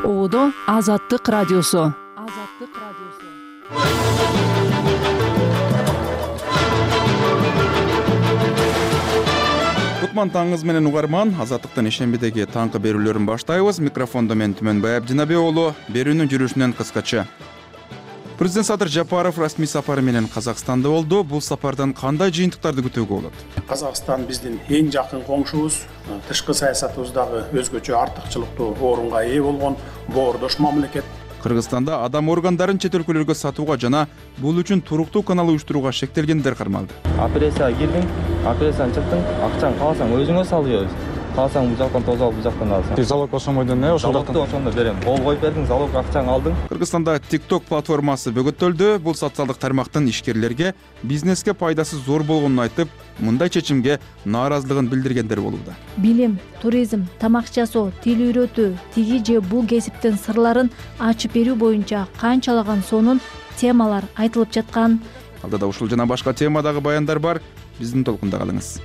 Оодо Азаттык радиосу. Кутман таңыңыз менен угарман. Азаттыктын ишембидеги таңкы берүүлөрүн баштайбыз. Микрофондо мен Түмөнбай Абдинабек уулу. Берүүнүн жүрүшүнөн кыскача. Президент Садыр Жапаров расмий сапары менен Казакстанда болду. Бул сапардан кандай жыйынтыктарды күтүүгө болот? Казакстан биздин эң жакын коңшубуз, тышкы саясатыбыздагы өзгөчө артыкчылыктуу орунга ээ болгон боордош мамлекет. Кыргызстанда адам органдарын чет өлкөлөргө сатууга жана бул үчүн туруктуу канал уюштурууга шектелгендер кармалды. Операцияга кирдиң, операциядан чыктың, акчаңды кааласаң өзүңө салып, кааласаң бул жактан тозуп алып, бул жактан аласың. Залог ошомойдон ошол жактан ошондо берем. Кол коюп бердиң, залог акчаңды алдың. Кыргызстанда TikTok платформасы бөгөттөлдү. Бул социалдык тармактын ишкерлерге бизнеске пайдасы зор болгонун айтып, мындай чечимге нааразылыгын билдиргендер болууда. Билим, туризм, тамак жасоо, тил үйрөтүү, тиги же бул кесиптин сырларын ачып берүү боюнча канчалаган сонун темалар айтылып жаткан. Алдыда ушул жана башка темадагы баяндар бар. Биздин толкунда калыңыз.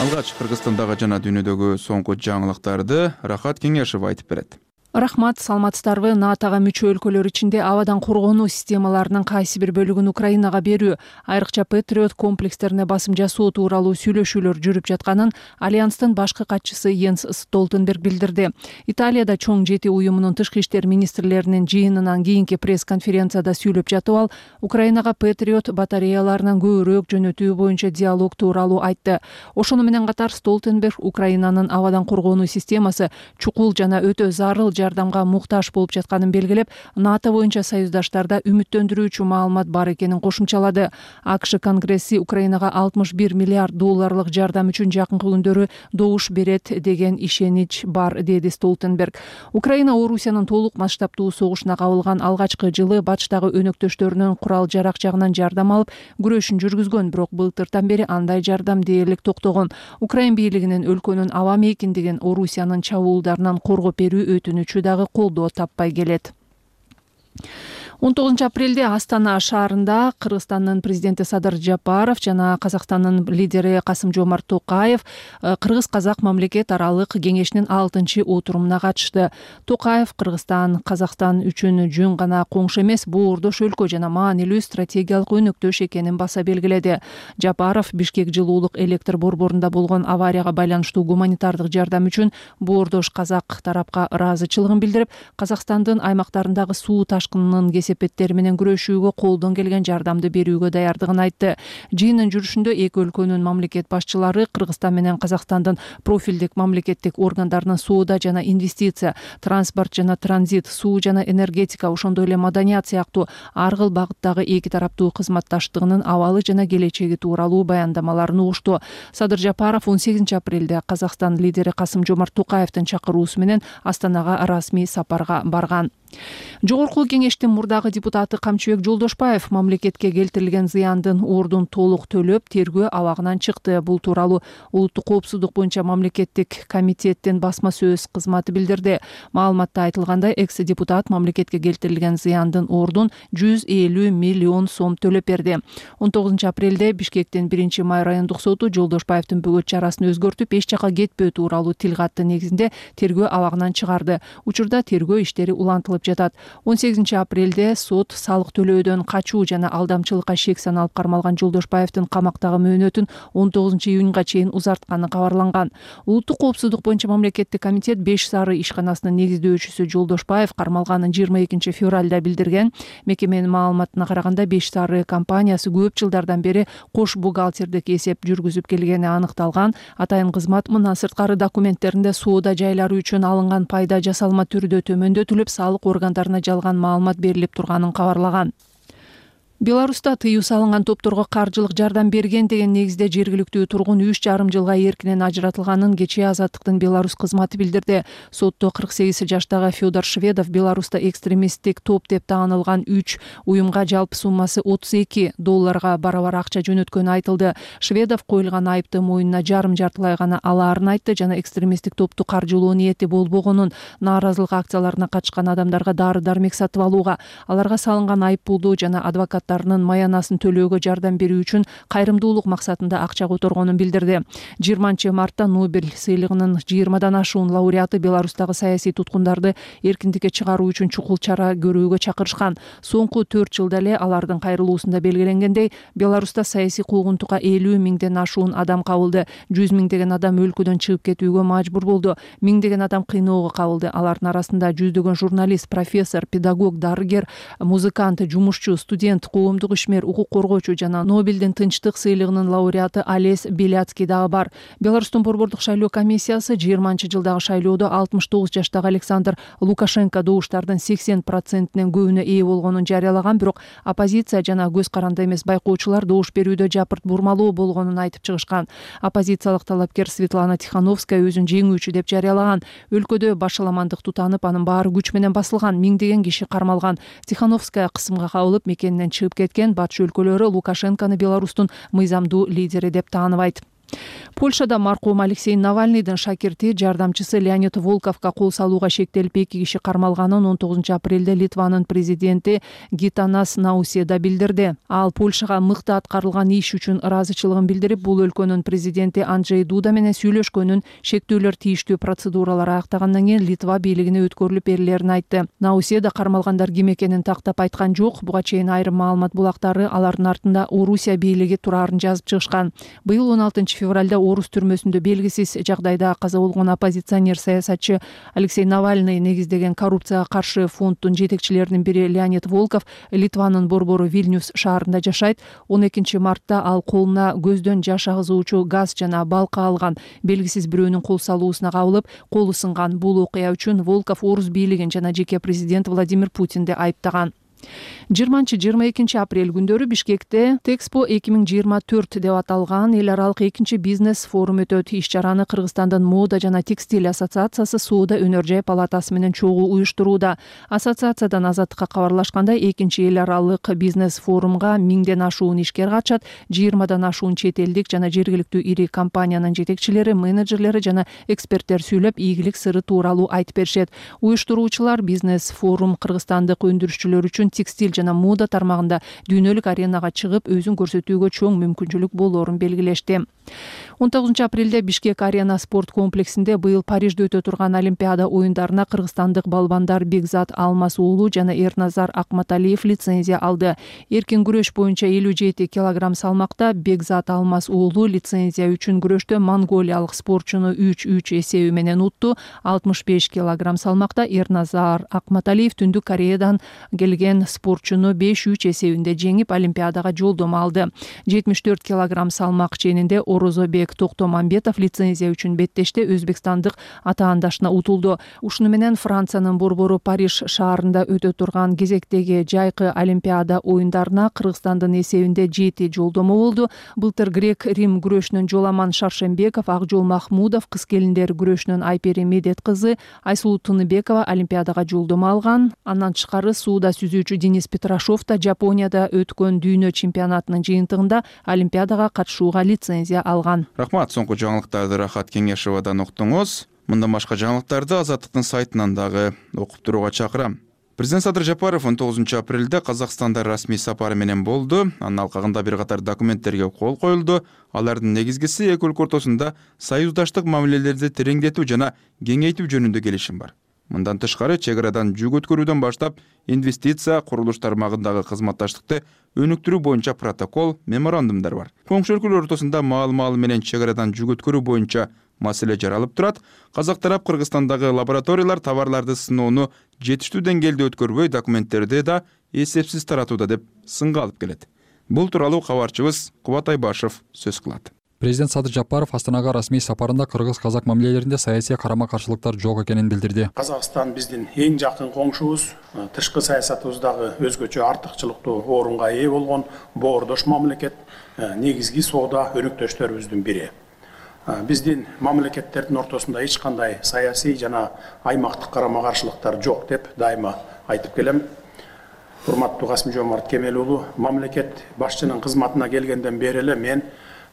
Алгач Кыргызстандагы жана дүйнөдөгү соңку жаңылыктарды Рахат Кеңешев айтып берет. Рахмат, саламатсыздарбы? НАТОга мүчө өлкөлөр ичинде абадан коргонуу системаларынын кайсы бир бөлүгүн Украинага берүү, айрыкча Патриот комплекстерине басым жасоо тууралуу сүйлөшүүлөр жүрүп жатканын Альянстын башкы катчысы Йенс Столтенберг билдирди. Италияда чоң жети уюмунун тышкы иштер министрлеринин жыйынынан кийинки пресс-конференцияда сүйлөп жатып ал Украинага Патриот батареяларынан көбүрөөк жөнөтүү боюнча диалог тууралуу айтты. Ошону менен катар Столтенберг Украинанын абадан коргонуу системасы чукул жана өтө зарыл жардамга муктаж болуп жатканын белгилеп, НАТО боюнча союздаштарда үмүттөндүрүүчү маалымат бар экенин кошумчалады. АКШ Конгресси Украинага 61 миллиард долларлык жардам үчүн жакынкы күндөрү добуш берет деген ишенич бар, деди Столтенберг. Украина Орусиянын толук масштабтуу согушуна кабылган алгачкы жылы батыштагы өнөктөштөрүнүн курал-жарак жагынан жардам алып, күрөшүн жүргүзгөн, бирок былтыртан бери андай жардам дээрлик токтогон. Украин бийлигинин өлкөнүн аба мейкиндигин Орусиянын чабуулдарынан коргоп берүү өтүнүчү дагы колдоо таппай келет. 19 апрелде Астана шаарында Кыргызстандын президенти Садыр Жапаров жана Казакстандын лидери Касым-Жомарт Токаев Кыргыз-Казак мамлекет аралык кеңешинин 6-чы отурумуна катышты. Токаев Кыргызстан, Казакстан үчүн жөн гана коңшу эмес, боордош өлкө жана маанилүү стратегиялык өнөктөш экенин баса белгиледи. Жапаров Бишкек жылуулук электр борборунда болгон аварияга байланыштуу гуманитардык жардам үчүн боордош казак тарапка ыраазычылыгын билдирип, Казакстандын аймактарындагы суу ташкынынын кесепеттери менен күрөшүүгө колдон келген жардамды берүүгө даярдыгын айтты. Жыйындын жүрүшүндө эки өлкөнүн мамлекет башчылары Кыргызстан менен Казакстандын профилдик мамлекеттик органдарынын соода жана инвестиция, транспорт жана транзит, суу жана энергетика, ошондой эле маданият сыяктуу ар кыл багыттагы эки тараптуу кызматташтыгынын абалы жана келечеги тууралуу баяндамаларын угушту. Садыр Жапаров 18 апрелде Казакстан лидери Касым-Жомарт Токаевдин чакыруусу менен Астанага расмий сапарга барган. Жогорку кеңештин мурдагы депутаты Камчыбек Жолдошбаев мамлекетке келтирилген зыяндын ордун толук төлөп, тергөө абагынан чыкты. Бул тууралуу улуттук коопсуздук боюнча мамлекеттик комитеттин басма сөз кызматы билдирди. Маалыматта айтылгандай, экс-депутат мамлекетке келтирилген зыяндын ордун 150 миллион сом төлөп берди. 19 апрелде Бишкектин 1-май райондук соту Жолдошбаевдин бөгөт чарасын өзгөртүп, эч жака кетпөө тууралуу тил катты негизинде тергөө абагынан чыгарды. Учурда тергөө иштери улантылып жатат. 18 апрелде сот салык төлөөдөн качуу жана алдамчылыкка шек саналып кармалган Жолдошбаевдин камактагы мөөнөтүн 19 июнга чейин узартканы кабарланган. Улуттук коопсуздук боюнча мамлекеттик комитет 5 сары ишканасынын негиздөөчүсү Жолдошбаев кармалганын 22 февралда билдирген. Мекеменин маалыматына караганда 5 сары компаниясы көп жылдардан бери кош бухгалтердик эсеп жүргүзүп келгени аныкталган. Атайын кызмат мындан сырткары документтеринде соода жайлары үчүн алынган пайда жасалма түрдө төмөндөтүлүп, салык органдарына жалган маалымат берилип турганын кабарлаган. Беларуста тыюу салынган топторго каржылык жардам берген деген негизде жергиликтүү тургун 3,5 жылга эркинен ажыратылганын кечээ Азаттыктын Беларусь кызматы билдирди. Сотто 48 жаштагы Федор Шведов Беларуста экстремисттик топ деп таанылган 3 уюмга жалпы суммасы $32 барабар акча жөнөткөнү айтылды. Шведов коюлган айыпты моюнуна жарым-жартылай гана алаарын айтты жана экстремисттик топту каржылоо ниети болбогонун, нааразылык акцияларына катышкан адамдарга дары-дармек сатып алууга, аларга салынган айып пулду жана адвокаттар кызматтарынын маянасын төлөөгө жардам берүү үчүн кайрымдуулук максатында акча которгонун билдирди. 20 мартта Нобель сыйлыгынын 20дан ашуун лауреаты Беларустагы саясий туткундарды эркиндикке чыгаруу үчүн чукул чара көрүүгө чакырышкан. Соңку 4 жылда эле алардын кайрылуусунда белгиленгендей, Беларуста саясий куугунтукка 50 миңден ашуун адам кабылды. 100 миңдеген адам өлкөдөн чыгып кетүүгө мажбур болду. Миңдеген адам кыйноого кабылды. Алардын арасында жүздөгөн журналист, профессор, педагог, дарыгер, музыкант, жумушчу, студент, коомдук ишмер, укук коргоочу жана Нобелдин тынчтык сыйлыгынын лауреаты Олесь Беляцкий дагы бар. Беларустун борбордук шайлоо комиссиясы 20-жылдагы шайлоодо 69 жаштагы Александр Лукашенко добуштардын 80%нин көбүнө ээ болгонун жарыялаган, бирок оппозиция жана көз каранды эмес байкоочулар добуш берүүдө жапырт бурмалоо болгонун айтып чыгышкан. Оппозициялык талапкер Светлана Тихановская өзүн жеңүүчү деп жарыялаган. Өлкөдө башаламандык тутанып, анын баары күч менен басылган, миңдеген киши кармалган. Тихановская кысымга кабылып, мекенинен чыгып кеткен. Батыш өлкөлөрү Лукашенкону Беларустун мыйзамдуу лидери деп тааныбайт. Польшада маркум Алексей Навальныйдын шакирти, жардамчысы Леонид Волковго кол салууга шектелип 2 киши кармалганын 19-апрелде Литванын президенти Гитанас Науседа билдирди. Ал Польшага мыкты аткарылган иш үчүн ыраазычылыгын билдирип, бул өлкөнүн президенти Анджей Дуда менен сүйлөшкөнүн, шектүүлөр тийиштүү процедуралар аяктагандан кийин Литва бийлигине өткөрүлүп берилерин айтты. Науседа кармалгандар ким экенин тактап айткан жок. Буга чейин айрым маалымат булактары алардын артында Орусия бийлиги турарын жазып чыгышкан. Быйыл 16 февралда Орус түрмөсүндө белгисиз жагдайда каза болгон оппозиционер саясатчы Алексей Навальный негиздеген коррупцияга каршы фонддун жетекчилеринин бири Леонид Волков Литванын борбору Вильнюс шаарында жашайт. 12 мартта ал колуна көздөн жаш агызуучу газ жана балка алган. Белгисиз бирөөнүн кол салуусуна кабылып, колу сынган. Бул окуя үчүн Волков Орус бийлигин жана жеке президент Владимир Путинди айыптаган. 20-22 апрель күндөрү Бишкекте Тэкспо 2024 деп аталган эл аралык 2 бизнес форум өтөт. Иш-чараны Кыргызстандын мода жана текстиль ассоциациясы Соода өнөр жай палатасы менен чогуу уюштурууда. Ассоциациядан Азаттыкка кабарлашкандай, 2 эл аралык бизнес форумга 1000ден ашуун ишкер катышат. 20дан ашуун чет элдик жана жергиликтүү ири компаниянын жетекчилери, менеджерлери жана эксперттер сүйлөп, ийгилик сыры тууралуу айтып беришет. Уюштуруучулар бизнес форум кыргызстандык өндүрүшчүлөр үчүн текстиль жана мода тармагында дүйнөлүк аренага чыгып, өзүн көрсөтүүгө чоң мүмкүнчүлүк болоорун белгилешти. 19 апрелде Бишкек арена спорт комплексинде быйыл Парижде өтө турган Олимпиада оюндарына кыргызстандык балбандар Бекзат Алмаз уулу жана Эрназар Акматалиев лицензия алды. Эркин күрөш боюнча 57 килограмм салмакта Бекзат Алмаз уулу лицензия үчүн күрөштө монголиялык спортчуну 3-3 эсеби менен утту. 65 килограмм салмакта Эрназар Акматалиев Түндүк Кореядан келген спортчуну 5-3 эсебинде жеңип, Олимпиадага жолдомо алды. 74 килограмм салмак ченинде Орозобек Токтомамбетов лицензия үчүн беттеште Өзбекстандык атаандашына утулду. Ушуну менен Франциянын борбору Париж шаарында өтө турган кезектеги жайкы Олимпиада оюндарына Кыргызстандын эсебинде 7 жолдомо болду. Былтыр грек-рим күрөшүнөн Жоламан Шаршембеков, Акжол Махмудов, кыз келиндер күрөшүнөн Айпери Медет кызы Айсулуу Тыныбекова Олимпиадага жолдомо алган. Андан тышкары сууда сүзүүчү Денис Петрашов да Жапонияда өткөн дүйнө чемпионатынын жыйынтыгында Олимпиадага катышууга лицензия алган. Рахмат, соңку жаңылыктарды Рахат Кеңешовадан уктуңуз. Мындан башка жаңылыктарды Азаттыктын сайтынан дагы окуп турууга чакырам. Президент Садыр Жапаров 19 апрелде Казакстанда расмий сапары менен болду. Анын алкагында бир катар документтерге кол коюлду. Алардын негизгиси эки өлкө ортосунда союздаштык мамилелерди тереңдетүү жана кеңейтүү жөнүндө келишим бар. Мындан тышкары, чек арадан жүк өткөрүүдөн баштап инвестиция, курулуш тармагындагы кызматташтыкты өнүктүрүү боюнча протокол, меморандумдар бар. Коңшу өлкөлөр ортосунда маал менен чек арадан жүк өткөрүү боюнча маселе жаралып турат. Казак тарап Кыргызстандагы лабораториялар товарларды сыноону жетиштүү деңгээлде өткөрбөй, документтерди да эсепсиз таратууда деп сынга алып келет. Бул тууралуу кабарчыбыз Кубат Айбашев сөз кылат. Президент Садыр Жапаров Астанага расмий сапарында кыргыз-казак мамилелеринде саясий карама-каршылыктар жок экенин билдирди. Казакстан биздин эң жакын коңшубуз, тышкы саясатыбыздагы өзгөчө артыкчылыктуу орунга ээ болгон боордош мамлекет, негизги соода өнөктөштөрүбүздүн бири. Биздин мамлекеттердин ортосунда эч кандай саясий жана аймактык карама-каршылыктар жок деп дайыма айтып келем. Урматтуу Касым-Жомарт Кемел уулу, мамлекет башчынын кызматына келгенден бери эле мен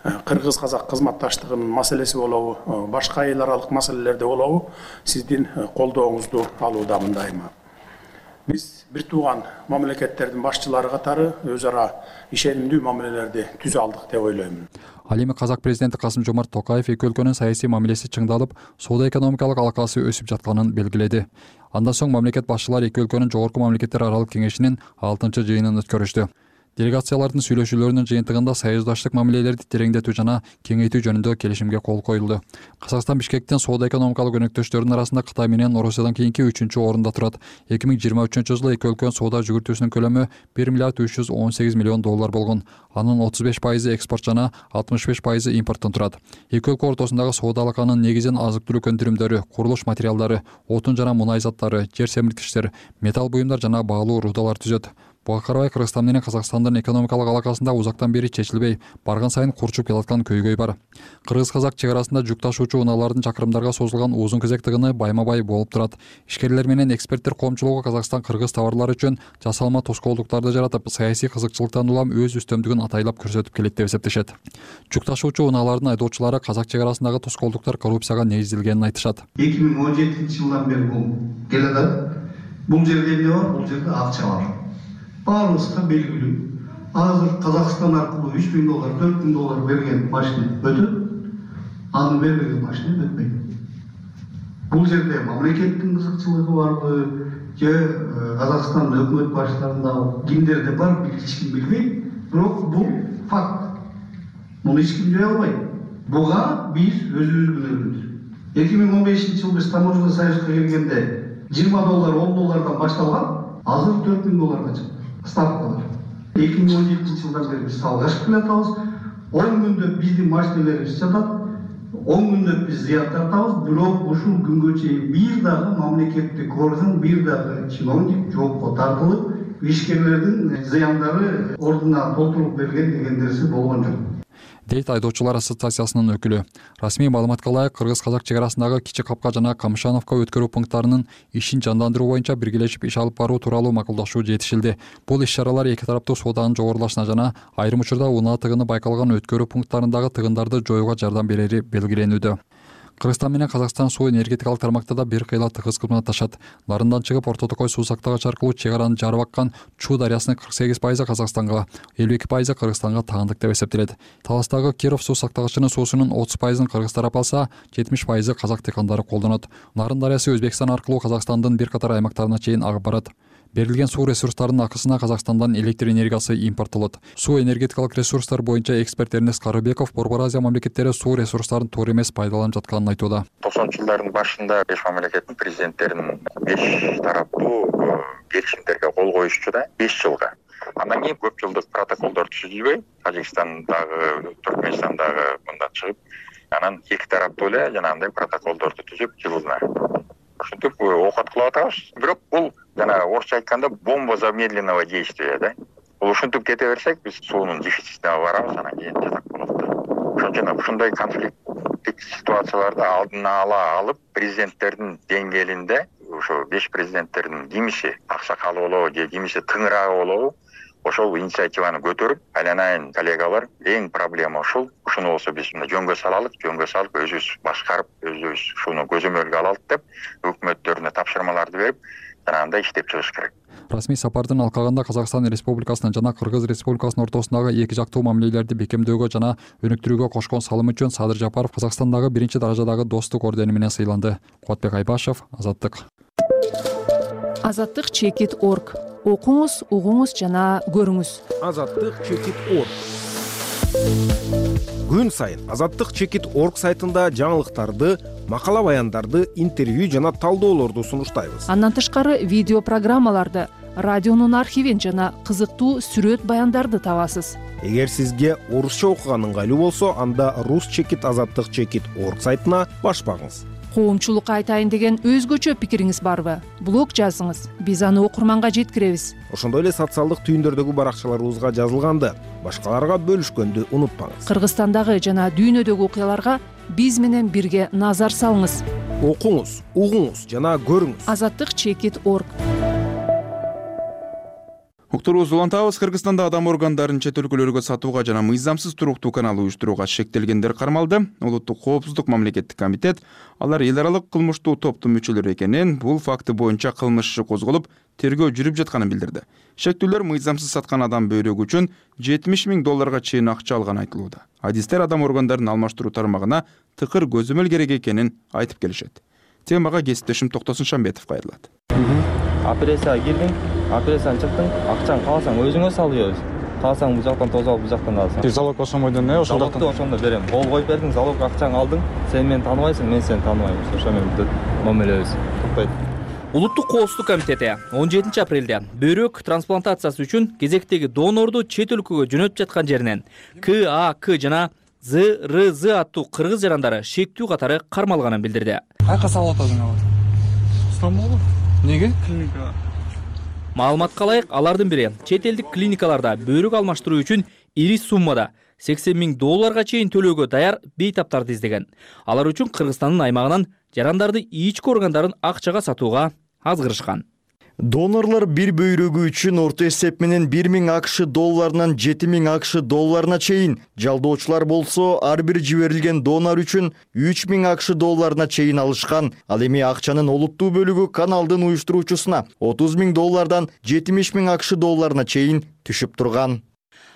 кыргыз-казак кызматташтыгынын маселеси болобу, башка эл аралык маселелерде болобу, сиздин колдооңузду алуудамын дайыма. Биз бир тууган мамлекеттердин башчылары катары өз ара ишенимдүү мамилелерди түзө алдык деп ойлоймун. Ал эми казак президенти Касым-Жомарт Токаев эки өлкөнүн саясий мамилеси чыңдалып, соода экономикалык алакасы өсүп жатканын белгиледи. Андан соң мамлекет башчылары эки өлкөнүн жогорку мамлекеттер аралык кеңешинин 6-жыйынын өткөрүштү. Делегациялардын сүйлөшүүлөрүнүн жыйынтыгында союздаштык мамилелерди тереңдетүү жана кеңейтүү жөнүндө келишимге кол коюлду. Казакстан Бишкектин соода экономикалык өнөктөштөрүнүн арасында Кытай менен Орусиядан кийинки 3-орунда турат. 2023-жылы эки өлкөнүн соода жүгүртүүсүнүн көлөмү $1 миллиард 318 миллион болгон. Анын 35% экспорт жана 65% импорттон турат. Эки өлкө ортосундагы соода алаканын негизин азык-түлүк өндүрүмдөрү, курулуш материалдары, отун жана мунай заттары, жер семирткичтер, металл буюмдар жана баалуу рудалар түзөт. Буга карабай Кыргызстан менен Казакстандын экономикалык алакасында узактан бери чечилбей, барган сайын курчуп келаткан көйгөй бар. Кыргыз-казак чек арасында жүк ташуучу унаалардын чакырымдарга созулган узун кезек тыгыны байма-бай болуп турат. Ишкерлер менен эксперттер коомчулугу Казакстан-Кыргыз товарлары үчүн жасалма тоскоолдуктарды жаратып, саясий кызыкчылыктан улам өз үстөмдүгүн атайлап көрсөтүп келет деп эсептешет. Жүк ташуучу унаалардын айдоочулары казак чек арасындагы тоскоолдуктар коррупцияга негизделгенин айтышат. 2017-жылдан бери бул келатат. Бул жерде эмне бар? Бул жерде акча бар. Баарыбызга белгилүү. Азыр Казакстан аркылуу $3.000, $4.000 берген машина өтөт. Аны бербеген машина өтпөйт. Бул жерде мамлекеттин кызыкчылыгы барбы, же Казакстандын өкмөт башчыларында кимдерде бар, эч ким билбейт. Бирок бул факт. Муну эч ким жое албайт. Буга биз өзүбүз күнөөбүз. 2015-жылы биз таможня союзга келгенде $20, $10 башталган, азыр $4.000 чыкты. Ставкалар. 2017-жылдан бери биз салгашып келатабыз. 10 күндө биздин машиналарыбыз жатат. 10 күндө биз зыян тартабыз. Бирок ушул күнгө чейин бир дагы мамлекеттик орган, бир дагы чиновник жоопко тартылып, ишкерлердин зыяндары ордуна толтуруп берген деген нерсе болгон жок. Дейт айдоочулар ассоциациясынын өкүлү. Расмий маалыматка ылайык, Кыргыз-казак чек арасындагы Кичи Капка жана Камышановка өткөрүү пункттарынын ишин жандандыруу боюнча биргелешип иш алып баруу тууралуу макулдашуу жетишилди. Бул иш-чаралар эки тараптуу сооданын жогорулашына жана айрым учурда унаа тыгыны байкалган өткөрүү пункттарындагы тыгындарды жоюуга жардам берери белгиленүүдө. Кыргызстан менен Казакстан суу энергетикалык тармакта да бир кыйла тыгыз кызматташат. Нарындан чыгып Орто Токой суу сактагыч аркылуу чек араны жарып аккан Чуу дарыясынын 48% Казакстанга, 52% Кыргызстанга таандык деп эсептелет. Таластагы Киров суу сактагычынын суусунун 30%-ын Кыргыз тарап алса, 70% казак дыйкандары колдонот. Нарын дарыясы Өзбекстан аркылуу Казакстандын бир катар аймактарына чейин агып барат. Берилген суу ресурстарынын акысына Казакстандан электр энергиясы импорттолот. Суу энергетикалык ресурстар боюнча эксперт Эрнест Карыбеков Борбор Азия мамлекеттери суу ресурстарын туура эмес пайдаланып жатканын айтууда. 90-жылдардын башында 5 мамлекеттин президенттеринин 5 тараптуу келишимдерге кол коюшчу да 5 жылга. Андан кийин көп жылдык протоколдор түзүлбөй, Тажикстандагы, Түркмөнстандагы мында чыгып, анан эки тараптуу эле жанагындай протоколдорду түзүп жылына ушинтип окат кылып атабыз. Бирок бул жана орусча айтканда бомба замедленного действия да. Бул ушинтип кете берсек, биз суунун дефицитине барабыз, анан кийин жатак болот да. Ошон үчүн ушундай конфликттик ситуацияларды алдына ала алып, президенттердин деңгээлинде ошо 5 президенттердин кимиси аксакалы болобу же кимиси тыңыраагы болобу, ошол инициативаны көтөрүп, айланайын коллегалар, эң проблема ушул. Ушуну болсо биз жөнгө салып өзүбүз башкарып, өзүбүз шуну көзөмөлгө алалык деп өкмөттөрүнө тапшырмаларды берип, жанагындай иштеп чыгыш керек. Расмий сапардын алкагында Казакстан Республикасынын жана Кыргыз Республикасынын ортосундагы эки жактуу мамилелерди бекемдөөгө жана өнүктүрүүгө кошкон салымы үчүн Садыр Жапаров Казакстандагы 1-даражадагы достук ордени менен сыйланды. Кубатбек Айбашев, Азаттык. Азаттык чекит.org. Окуңуз, угуңуз жана көрүңүз. Азаттык чекит.org. Күн сайын Азаттык чекит.org сайтында жаңылыктарды, макала баяндарды, интервью жана талдоолорду сунуштайбыз. Андан тышкары видео программаларды, радионун архивин жана кызыктуу сүрөт баяндарды табасыз. Эгер сизге орусча окуган ыңгайлуу болсо, анда рус чекит азаттык чекит.org сайтына башпаңыз. Коомчулукка айтайын деген өзгөчө пикириңиз барбы? Блог жазыңыз, биз аны окурманга жеткиребиз. Ошондой эле социалдык түйүндөрдөгү баракчаларыбызга жазылганды башкаларга бөлүшкөндү унутпаңыз. Кыргызстандагы жана дүйнөдөгү окуяларга биз менен бирге назар салыңыз. Окуңуз, угуңуз жана көрүңүз. Азаттык чекит.org. Уктурубузду улантабыз. Кыргызстанда адам органдарын чет өлкөлөргө сатууга жана мыйзамсыз туруктуу канал уюштурууга шектелгендер кармалды. Улуттук коопсуздук мамлекеттик комитет алар эл аралык кылмыштуу топтун мүчөлөрү экенин, бул факты боюнча кылмыш иши козголуп, тергөө жүрүп жатканын билдирди. Шектүүлөр мыйзамсыз саткан адам бөйрөгү үчүн 70 000 долларга чейин акча алганы айтылууда. Адистер адам органдарын алмаштыруу тармагына тыкыр көзөмөл керек экенин айтып келишет. Темага кесиптешим Токтосун Шамбетов кайрылат. Операцияга кирдиң, операциядан чыктың, акчаны кааласаң өзүңө салып, кааласаң бул жактан тосуп алып, бул жактан аласың. Залог ошомойдон ошол жактан. Ошондо берем. Кол коюп бердиң, залог акчаңды алдың. Сен мени тааныбайсың, мен сени тааныбайм. Ошо менен мамилебиз тукпайт. Улуттук коопсуздук комитети 17 апрелде бөйрөк трансплантациясы үчүн кезектеги донорду чет өлкөгө жөнөтүп жаткан жеринен КАК жана ЗРЗ аттуу кыргыз жарандары шектүү катары кармалганын билдирди. Кайка салып атасың алар? Стамбулга? Неге? Клиникага. Маалыматка ылайык, алардын бири чет элдик клиникаларда бөйрөк алмаштыруу үчүн ири суммада 80 000 долларга чейин төлөөгө даяр бейтаптарды издеген. Алар үчүн Кыргызстандын аймагынан жарандарды ички органдарын акчага сатууга азгырышкан. Донорлор бир бөйрөгү үчүн орто эсеп менен 1000 АКШ долларынан 7000 АКШ долларына чейин, жалдоочулар болсо ар бир жиберилген донор үчүн 3000 АКШ долларына чейин алышкан. Ал эми акчанын олуттуу бөлүгү каналдын уюштуруучусуна 30 000 доллардан 70 000 АКШ долларына чейин түшүп турган.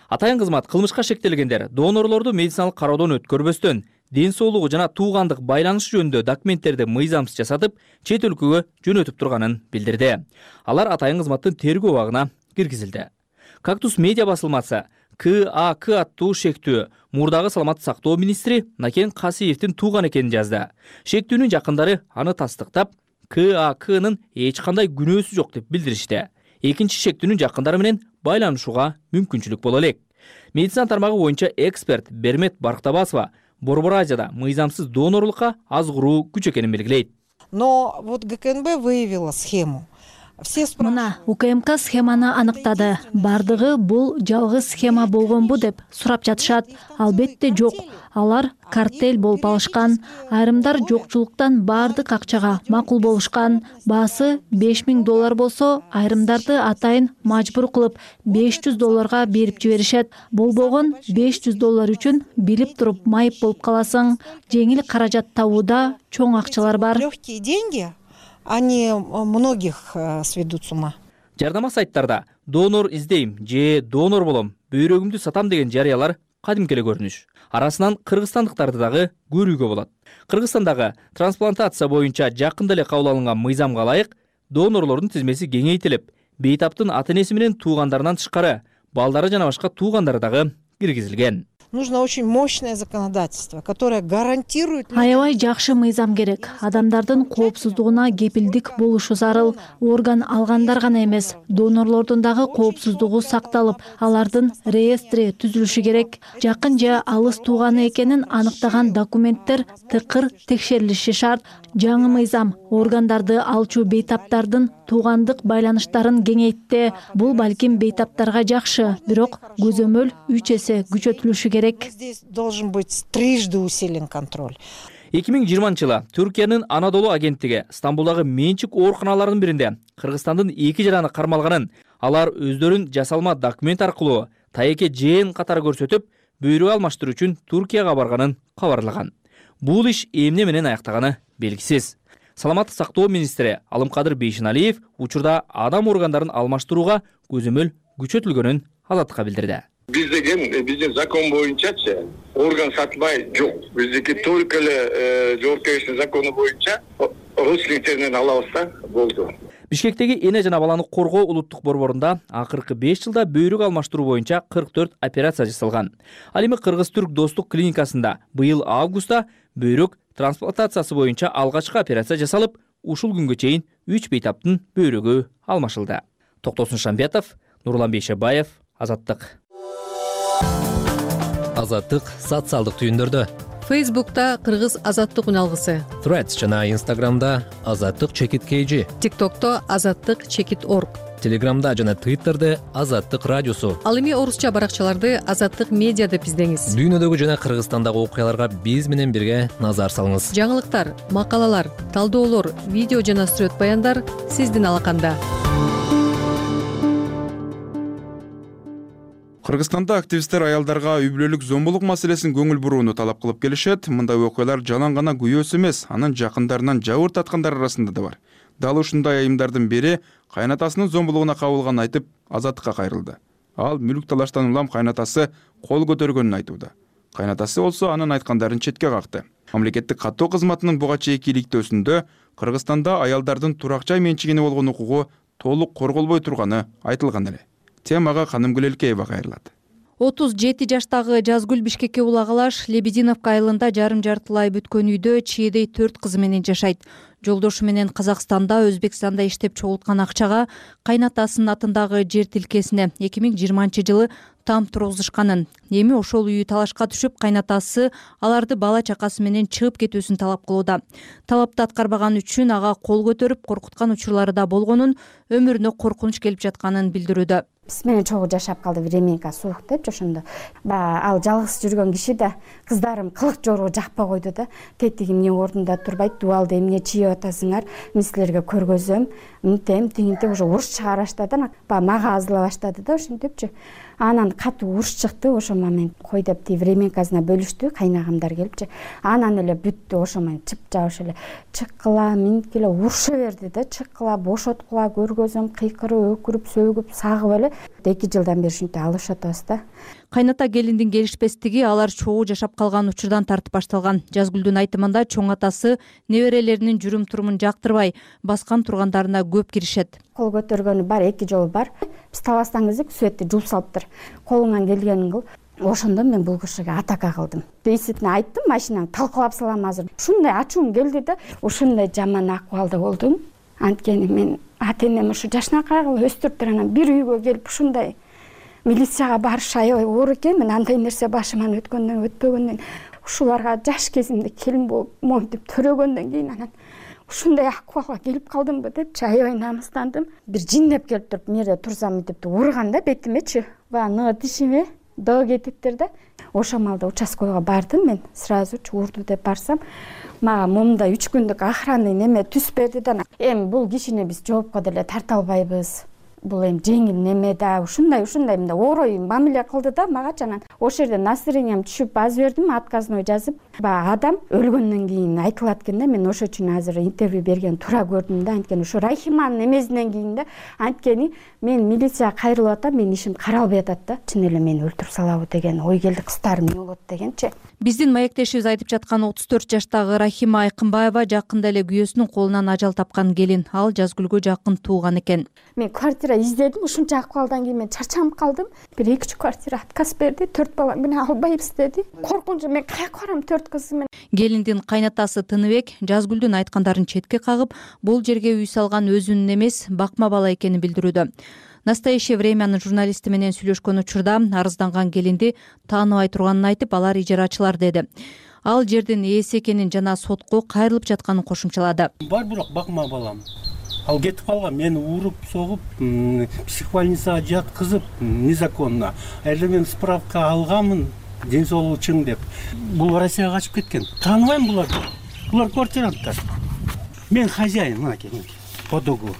Атайын кызмат кылмышка шектелгендер донорлорду медициналык кароодон өткөрбөстөн ден соолугу жана туугандык байланыш жөнүндө документтерди мыйзамсыз жасатып, чет өлкөгө жөнөтүп турганын билдирди. Алар атайын кызматтын тергөө абагына киргизилди. Кактус медиа басылмасы КАК аттуу шектүү мурдагы саламаттык сактоо министри Накен Касиевдин тууган экенин жазды. Шектүүнүн жакындары аны тастыктап, КАКнын эч кандай күнөөсү жок деп билдиришти. Экинчи шектүүнүн жакындары менен байланышууга мүмкүнчүлүк боло элек. Медицина тармагы боюнча эксперт Бермет Барктабасова Борбор Азияда мыйзамсыз донорлукка азгыруу күч экенин белгилейт. Но вот ГКНБ выявила схему. Мына УКМК схеманы аныктады. Бардыгы бул жалгыз схема болгонбу деп сурап жатышат. Албетте жок. Алар картель болуп алышкан. Айрымдар жокчулуктан бардык акчага макул болушкан. Баасы 5000 доллар болсо, айрымдарды атайын мажбур кылып 500 долларга берип жиберишет. Болбогон 500 доллар үчүн билип туруп майып болуп каласың. Жеңил каражат табууда чоң акчалар бар. Легкие деньги. Они многих сведут с ума. Жардама сайттарда донор издейм же донор болом, бөйрөгүмдү сатам деген жарыялар кадимки эле көрүнүш. Арасынан кыргызстандыктарды дагы көрүүгө болот. Кыргызстандагы трансплантация боюнча жакында эле кабыл алынган мыйзамга ылайык донорлордун тизмеси кеңейтилип, бейтаптын ата-энеси менен туугандарынан тышкары балдары жана башка туугандары дагы киргизилген. Нужно очень мощное законодательство, которое гарантирует... Аябай жакшы мыйзам керек. Адамдардын коопсуздугуна кепилдик болушу зарыл. Орган алгандар гана эмес, донорлордун дагы коопсуздугу сакталып, алардын реестри түзүлүшү керек. Жакын же алыс тууганы экенин аныктаган документтер тыкыр текшерилиши шарт. Жаңы мыйзам органдарды алчу бейтаптардын туугандык байланыштарын кеңейтти. Бул балким бейтаптарга жакшы, бирок көзөмөл 3 эсе күчөтүлүшү керек. Здесь должен быть трижды усилен контроль. 2020 Түркиянын Анадолу агенттиги Стамбулдагы менчик ооруканаларынын биринде Кыргызстандын 2 жараны кармалганын, алар өздөрүн жасалма документ аркылуу тайеке жээн катары көрсөтүп, бөйрөк алмаштыруу үчүн Туркияга барганын кабарлаган. Бул иш эмне менен аяктаганы белгисиз. Саламаттык сактоо министри Алымкадыр Бейшеналиев учурда адам органдарын алмаштырууга көзөмөл күчөтүлгөнүн Азаттыкка билдирди. Биздин закон боюнчачы орган сатылбай жок. Биздики только эле жоопкерчилик закону боюнча родственниктеринен алабыз да, болду. Бишкектеги эне жана баланы коргоо улуттук борборунда акыркы 5 жылда бөйрөк алмаштыруу боюнча 44 операция жасалган. Ал эми Кыргыз-Түрк достук клиникасында быйыл августта бөйрөк трансплантациясы боюнча алгачкы операция жасалып, ушул күнгө чейин 3 бейтаптын бөйрөгү алмашылды. Токтосун Шамбетов, Нурлан Бейшебаев, Азаттык. Азаттык социалдык түйүндөрдө. Фейсбукта Кыргыз Азаттык үналгысы. Threads жана Instagramда Азаттык _KG. TikTokто Азаттык_org. Телеграмда жана Twitterде Азаттык радиосу. Ал эми орусча баракчаларды Азаттык медиа деп издеңиз. Дүйнөдөгү жана Кыргызстандагы окуяларга биз менен бирге назар салыңыз. Жаңылыктар, макалалар, талдоолор, видео жана сүрөт баяндар сиздин алаканда. Кыргызстанда активисттер аялдарга үй бүлөлүк зомбулук маселесин көңүл бурууну талап кылып келишет. Мындай окуялар жалаң гана күйөөсү эмес, анын жакындарынан жабыр таткандар арасында да бар. Дал ушундай айымдардын бири кайнатасынын зомбулугуна кабылганын айтып, азаттыкка кайрылды. Ал мүлк талаштан улам кайнатасы кол көтөргөнүн айтууда. Кайнатасы болсо анын айткандарын четке какты. Мамлекеттик каттоо кызматынын буга чейинки иликтөөсүндө Кыргызстанда аялдардын турак жай менчигине болгон укугу толук корголбой турганы айтылган эле. Темага Канымгүл Элкеева кайрылат. 37 жаштагы Жазгүл Бишкекке улагалаш Лебединовка айылында жарым жартылай бүткөн үйдө чиедей 4 кызы менен жашайт. Жолдошу менен Казакстанда, Өзбекстанда иштеп чогулткан акчага кайнатасынын атындагы жер тилкесине 2020-жылы там тургузушканын. Эми ошол үйү талашка түшүп, кайнатасы аларды бала чакасы менен чыгып кетүүсүн талап кылууда. Талапты аткарбаган үчүн ага кол көтөрүп, коркуткан учурлары да болгонун, өмүрүнө коркунуч келип жатканын билдирүүдө. Биз менен чогуу жашап калды, временка суук депчи ошондо. Ал жалгыз жүргөн киши да, кыздарым кылык жорго жакпай койду да. Тетиги эмне ордунда турбайт, дубалды эмне чийип атасыңар, мен силерге көргөзөм, мынтем, тигинтем уже уруш чыгара баштады. Мага азыла баштады да ошентипчи. Анан катуу уруш чыкты, ошо момент кой деп ти временкасына бөлүштү, кайнагамдар келипчи. Анан эле бүттү, ошо момент чыпчабыш эле чыккыла, минткиле уруша берди да, чыккыла, бошоткула, көргөзөм, кыйкырып, өкүрүп, сөгүп, сагып эле 2 жылдан бери ушинтип алышып атабыз да. Кайната келиндин келишпестиги алар чогуу жашап калган учурдан тартып башталган. Жазгүлдүн айтымында чоң атасы неберелеринин жүрүм-турумун жактырбай, баскан тургандарына көп киришет. Кол көтөргөнү бар, 2 жолу бар. Биз таластан кезде светти жууп салыптыр. Колуңан келгенин кыл. Ошондо мен бул кишиге атака кылдым. Бейситине айттым, машинаны талкалап салам азыр. Ушундай ачуум келди да, ушундай жаман акыбалда болдум. Анткени мен ата-энем ушу жашынакай кылып өстүрүптүр, анан бир үйгө келип ушундай милицияга барыш аябай оор экен. Мен андай нерсе башыман өтпөгөндөн ушуларга жаш кезимде келин болуп монтип төрөгөндөн кийин анан ушундай акыбалга келип калдымбы депчи аябай намыстандым. Бир жиндеп келип туруп, мерде турсам мынтип урган да бетимечи. Бана тишиме доо кетиптир да. Ошол малда участкага бардым мен. Сразу урду деп барсам, мага момундай 3 күндүк охранный неме түз берди да. Эми бул кишини биз жоопко деле тарта албайбыз. Бул эми жеңил неме да, ушундай мындай орой мамиле кылды да магачы. Анан ошол жерде настроением түшүп аз бердим, отказной жазып. Адам өлгөндөн кийин айтылат экен да, мен ошол үчүн азыр интервью берген туура көрдүм да. Анткени ушу Рахиманын эмесинен кийин да, анткени мен милицияга кайрылып атам, менин ишим каралбай атат да. Чын эле мени өлтүрүп салабы деген ой келди, кыздарым эмне болот дегенчи. Биздин маектешибиз айтып жаткан 34 жаштагы Рахима Айкынбаева жакында эле күйөөсүнүн колунан ажал тапкан келин. Ал Жазгүлгө жакын тууган экен. Мен квартира издедим, ушунча акыбалдан кийин мен чарчанып калдым. Бир 2 квартира отказ берди, 4 бала менен албайбыз деди. Коркунчу, мен каяка барам 4 кыз менен. Келиндин кайнатасы Тыныбек Жазгүлдүн айткандарын четке кагып, бул жерге үй салган өзүнүн эмес, бакма бала экенин билдирүүдө. Настоящее времянын журналисти менен сүйлөшкөн учурда арызданган келинди тааныбай турганын айтып, алар ижарачылар деди. Ал жердин ээси экенин жана сотко кайрылып жатканын кошумчалады. Бар бирок бакма балам. Ал кетип калган, мени уруп, согуп, психбольницага жаткызып незаконно. Эле мен справка алганмын, ден соолугу чың деп. Бул Россияга качып кеткен. Тааныбайм буларды. Булар квартиранттар. Мен хозяин, мынакей, по договору.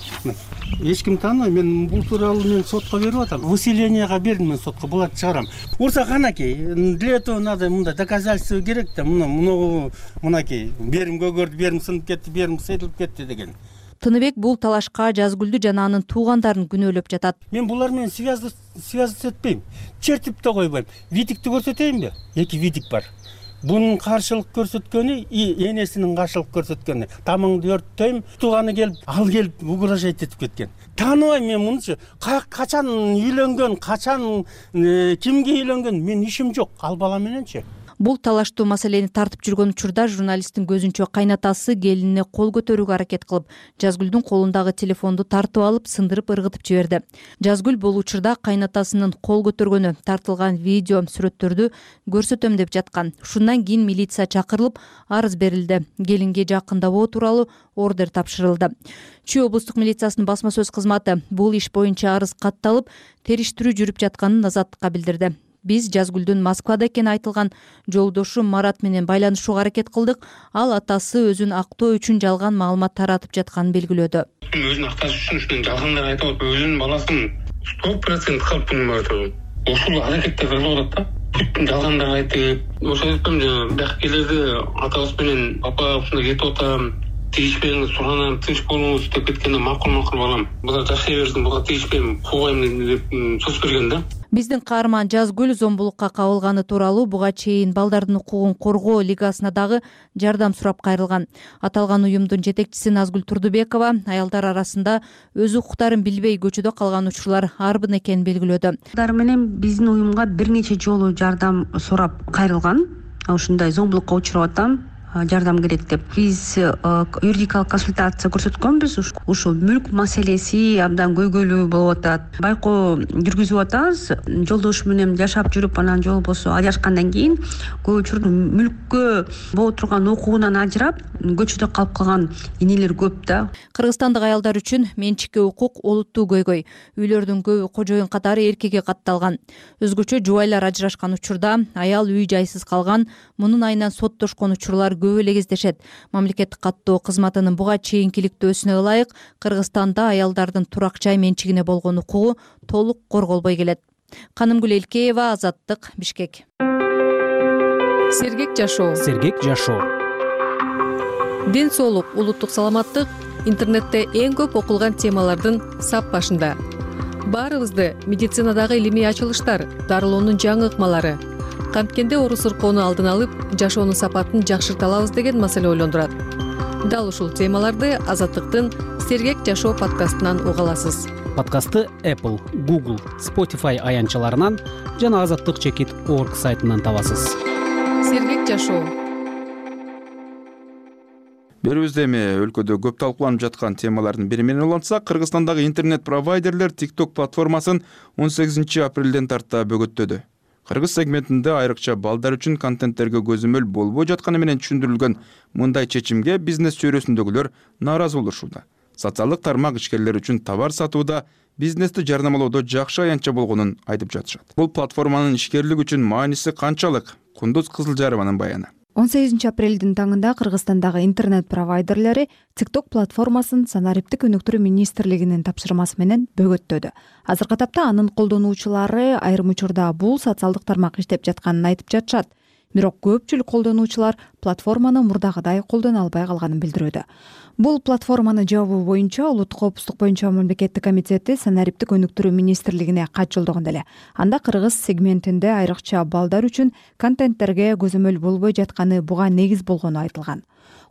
Эч ким тааныбайм, мен бул тууралуу мен сотко берип атам. Выселенияга бердим мен сотко, буларды чыгарам. Урса канакей, для этого надо мындай доказательство керек да, мынакей, берим көгөрдү, берим сынып кетти, берим сыйдылып кетти деген. Тыныбек бул талашка Жазгүлдү жана анын туугандарын күнөөлөп жатат. Мен булар менен связаться этпейм. Чертип да койбойм. Видикти көрсөтөйүнбү? 2 видик бар. Бунун каршылык көрсөткөнү и энесинин каршылык көрсөткөнү. Тамыңды өрттөйм, тууганы келип, ал келип угрожать этип кеткен. Тааныбайм мен мунучу. Качан үйлөнгөн, качан кимге үйлөнгөн, мен ишим жок. Ал бала мененчи. Бул талаштуу маселени тартып жүргөн учурда журналисттин көзүнчө кайнатасы келинине кол көтөрүүгө аракет кылып, Жазгүлдүн колундагы телефонду тартып алып, сындырып ыргытып жиберди. Жазгүл бул учурда кайнатасынын кол көтөргөнү, тартылган видео сүрөттөрдү көрсөтөм деп жаткан. Ушундан кийин милиция чакырылып, арыз берилди. Келинге жакындабоо тууралуу ордер тапшырылды. Чүй облустук милициясынын басма сөз кызматы бул иш боюнча арыз катталып, териштирүү жүрүп жатканын Азаттыкка билдирди. Биз Жазгүлдүн Москвада экени айтылган жолдошу Марат менен байланышууга аракет кылдык. Ал атасы өзүн актоо үчүн жалган маалымат таратып жатканын белгилөөдө. Өзүн акташ үчүн жалгандар айтып атып, өзүнүн баласын 100% калпын атып. Ушул аракетте кылып атат да. Бүт жалгандар айтып, ошо айтам, биякка келерде атабыз менен папа ушундай кетип атам, тийишпеңиз, суранам, тынч болуңуз деп кеткенде макул балам. Булар жашай берсин, буга тийишпейм, куугайм деп сөз берген да. Биздин каарман Жазгүл зомбулукка кабылганы тууралуу буга чейин балдардын укугун коргоо лигасына дагы жардам сурап кайрылган. Аталган уюмдун жетекчиси Назгүл Турдубекова аялдар арасында өз укуктарын билбей көчөдө калган учурлар арбын экенин белгилөөдө. Алар менен биздин уюмга бир нече жолу жардам сурап кайрылган. Ушундай зомбулукка учурап атам, жардам керек деп. Биз юридикалык консультация көрсөткөнбүз. Ушул мүлк маселеси абдан көйгөйлүү болуп атат. Байкоо жүргүзүп атабыз. Жолдош менен жашап жүрүп, анан жол болсо ажырашкандан кийин көп учурда мүлккө боло турган укугунан ажырап, көчөдө калып калган энелер көп да. Кыргызстандык аялдар үчүн менчикке укук олуттуу көйгөй. Үйлөрдүн көбү кожоюн катары эркекке катталган. Өзгөчө жубайлар ажырашкан учурда аял үй жайсыз калган, мунун айынан соттошкон учурлар көп эле кездешет. Мамлекеттик каттоо кызматынын буга чейинки иликтөөсүнө ылайык Кыргызстанда аялдардын турак жай менчигине болгон укугу толук корголбой келет. Канымгүл Элкеева, Азаттык, Бишкек. Сергек жашоо. Сергек жашоо. Ден соолук, улуттук саламаттык интернетте эң көп окулган темалардын сап башында. Баарыбызды медицинадагы илимий ачылыштар, дарылоонун жаңы ыкмалары, камткенде оору сыркоону алдын алып, жашоонун сапатын жакшырта алабыз деген маселе ойлондурат. Дал ушул темаларды Азаттыктын Сергек жашоо подкастынан уга аласыз. Подкастты Apple, Google, Spotify аянтчаларынан жана azatlyk.org сайтынан табасыз. Сергек жашоо. Берүүбүздө эми өлкөдө көп талкууланып жаткан темалардын бири менен улантсак, Кыргызстандагы интернет-провайдерлер TikTok платформасын 18 апрелден тарта бөгөттөдү. Кыргыз сегментинде айрыкча балдар үчүн контенттерге көзөмөл болбой жатканы менен түшүндүрүлгөн мындай чечимге бизнес чөйрөсүндөгүлөр нааразы болушууда. Социалдык тармак ишкерлери үчүн товар сатууда бизнести жарнамалоодо жакшы аянтча болгонун айтып жатышат. Бул платформанын ишкерлик үчүн мааниси канчалык? Кундуз Кызылжарованын баяны. 18 апрелдин таңында Кыргызстандагы интернет-провайдерлери TikTok платформасын Санариптик өнүктүрүү министрлигинин тапшырмасы менен бөгөттөдү. Азыркы тапта анын колдонуучулары айрым учурда бул социалдык тармак иштеп жатканын айтып жатышат. Бирок көпчүлүк колдонуучулар платформаны мурдагыдай колдоно албай калганын билдирүүдө. Бул платформаны жабуу боюнча Улуттук коопсуздук боюнча мамлекеттик комитети Санариптик өнүктүрүү министрлигине кат жолдогон эле. Анда кыргыз сегментинде айрыкча балдар үчүн контенттерге көзөмөл болбой жатканы буга негиз болгону айтылган.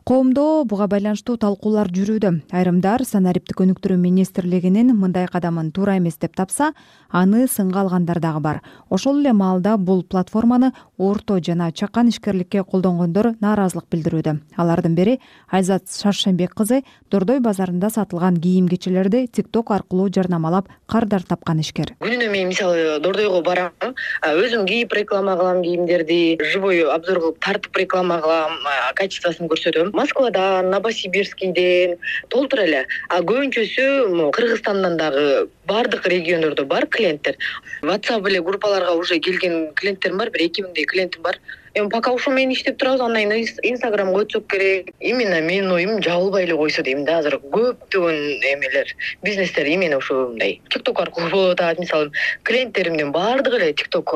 Коомдо буга байланыштуу талкуулар жүрүүдө. Айрымдар Санариптик өнүктүрүү министрлигинин мындай кадамын туура эмес деп тапса, аны сынга алгандар дагы бар. Ошол эле маалда бул платформаны орто жана чакан ишкерликке колдонгондор нааразылык билдирүүдө. Алардын бири Айзат Шаршембек кызы Дордой базарында сатылган кийим-кечелерди TikTok аркылуу жарнамалап кардар тапкан ишкер. Күнүнө мен мисалы Дордойго барам, өзүм кийип реклама кылам кийимдерди, живой обзор кылып тартып реклама кылам, качествосын көрсөтөм. Москвадан, Новосибирскийден толтур эле. Көбүнчөсү Кыргызстандан дагы бардык региондордо бар клиенттер. WhatsApp эле группаларга уже келген клиенттерим бар, 2000 клиентим бар. Эми пока ушул менен иштеп турабыз, андан кийин Instagramга өтсөк керек. Именно менин оюм жабылбай эле койсо дейм да, азыр көптөгөн эмелер, бизнестер именно ушундай TikTok аркылуу болуп атат. Мисалы, клиенттеримдин бардыгы эле TikTok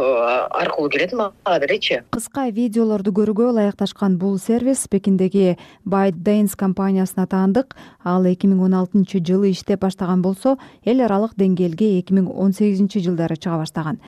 аркылуу келет мага делечи. Кыска видеолорду көрүүгө ылайыкташкан бул сервис Пекиндеги ByteDance компаниясына таандык. Ал 2016 жылы иштеп баштаган болсо, эл аралык деңгээлге 2018 жылдары чыга баштаган.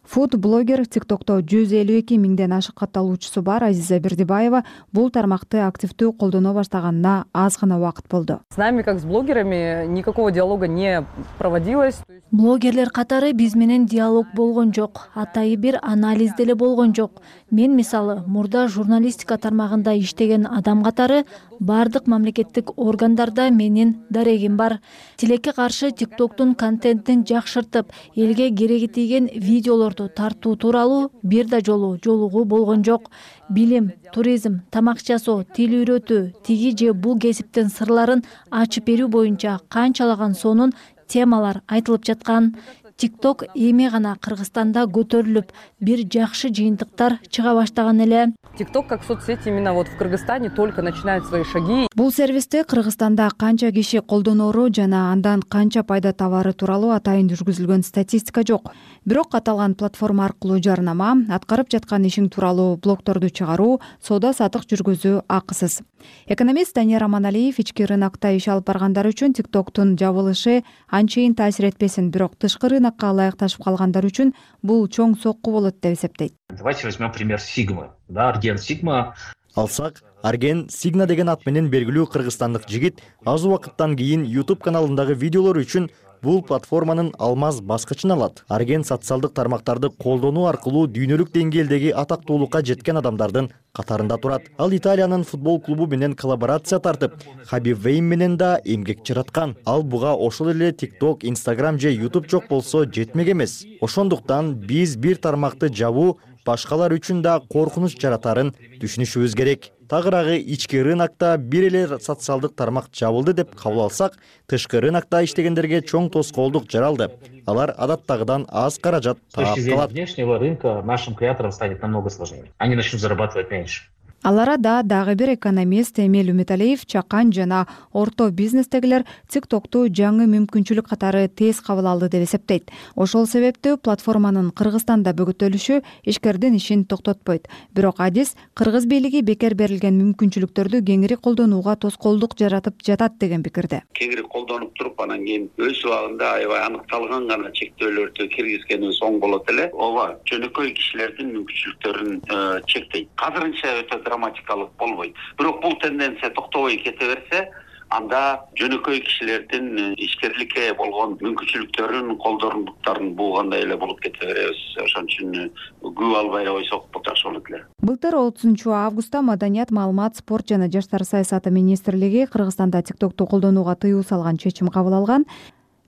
Фуд-блогер TikTok'то 152 миңден ашык катталуучусу бар Азиза Бердибаева бул тармакты активдүү колдоно баштаганына аз гана убакыт болду. С нами, как с блогерами, никакого диалога не проводилось. Блогерлер катары биз менен диалог болгон жок, атайы бир анализ деле болгон жок. Мен мисалы мурда журналистика тармагында иштеген адам катары бардык мамлекеттик органдарда менин дарегим бар. Тилекке каршы TikTok'тун контентин жакшыртып, элге кереги тийген видеолорду тартуу тууралуу бир да жолу жолугуу болгон жок. Билим, туризм, тамак жасоо, тил үйрөтүү, тиги же бул кесиптин сырларын ачып берүү боюнча канчалаган сонун темалар айтылып жаткан. TikTok эми гана Кыргызстанда көтөрүлүп, бир жакшы жыйынтыктар чыга баштаган эле. TikTok как соцсеть именно вот в Кыргызстане только начинает свои шаги. Бул сервисти Кыргызстанда канча киши колдонору жана андан канча пайда табары тууралуу атайын жүргүзүлгөн статистика жок. Бирок аталган платформа аркылуу жарнама, аткарып жаткан ишиң тууралуу блогторду чыгаруу, соода сатык жүргүзүү акысыз. Экономист Данияр Аманалиев ички рынокто иш алып баргандар үчүн TikToктун жабылышы анчейин таасир этпесин, бирок тышкы рынокко ылайыкташып калгандар үчүн бул чоң сокку болот деп эсептейт. Давайте возьмем пример Sigma. Да, Argen Sigma. Алсак, Argen Sigma деген ат менен белгилүү кыргызстандык жигит аз убакыттан кийин YouTube каналындагы видеолор үчүн бул платформанын алмаз баскычын алат. Argen социалдык тармактарды колдонуу аркылуу дүйнөлүк деңгээлдеги атактуулукка жеткен адамдардын катарында турат. Ал Италиянын футбол клубу менен коллаборация тартып, Хабиб Вейн менен да эмгек жараткан. Ал буга ошол эле TikTok, Instagram же YouTube жок болсо жетмек эмес. Ошондуктан биз бир тармакты жабуу башкалар үчүн да коркунуч жаратарын түшүнүшүбүз керек. Тагыраагы ички рынокто бир эле социалдык тармак жабылды деп кабыл алсак, тышкы рынокто иштегендерге чоң тоскоолдук жаралды. Алар адаттагыдан аз каражат таап калат. С внешнего рынка нашим креаторам станет намного сложнее. Они начнут зарабатывать меньше. Ал арада дагы бир экономист Эмиль Үмүталиев чакан жана орто бизнестегилер TikToкту жаңы мүмкүнчүлүк катары тез кабыл алды деп эсептейт. Ошол себептүү платформанын Кыргызстанда бөгөтөлүшү ишкердин ишин токтотпойт. Бирок адис кыргыз бийлиги бекер берилген мүмкүнчүлүктөрдү кеңири колдонууга тоскоолдук жаратып жатат деген пикирде. Кеңири колдонуп туруп, анан кийин өз убагында аябай аныкталган гана чектөөлөрдү киргизгенибиз оң болот эле. Ооба, жөнөкөй кишилердин мүмкүнчүлүктөрүн чектейт. Азырынча өтө драматикалык болбойт. Бирок бул тенденция токтобой кете берсе, анда жөнөкөй кишилердин ишкерликке болгон мүмкүнчүлүктөрүн, колдорундуктарын буугандай эле болуп кете беребиз. Ошон үчүн көп албай койсок жакшы болот эле. Былтыр 30-августта Маданият, маалымат, спорт жана жаштар саясаты министрлиги Кыргызстанда TikToкту колдонууга тыюу салган чечим кабыл алган.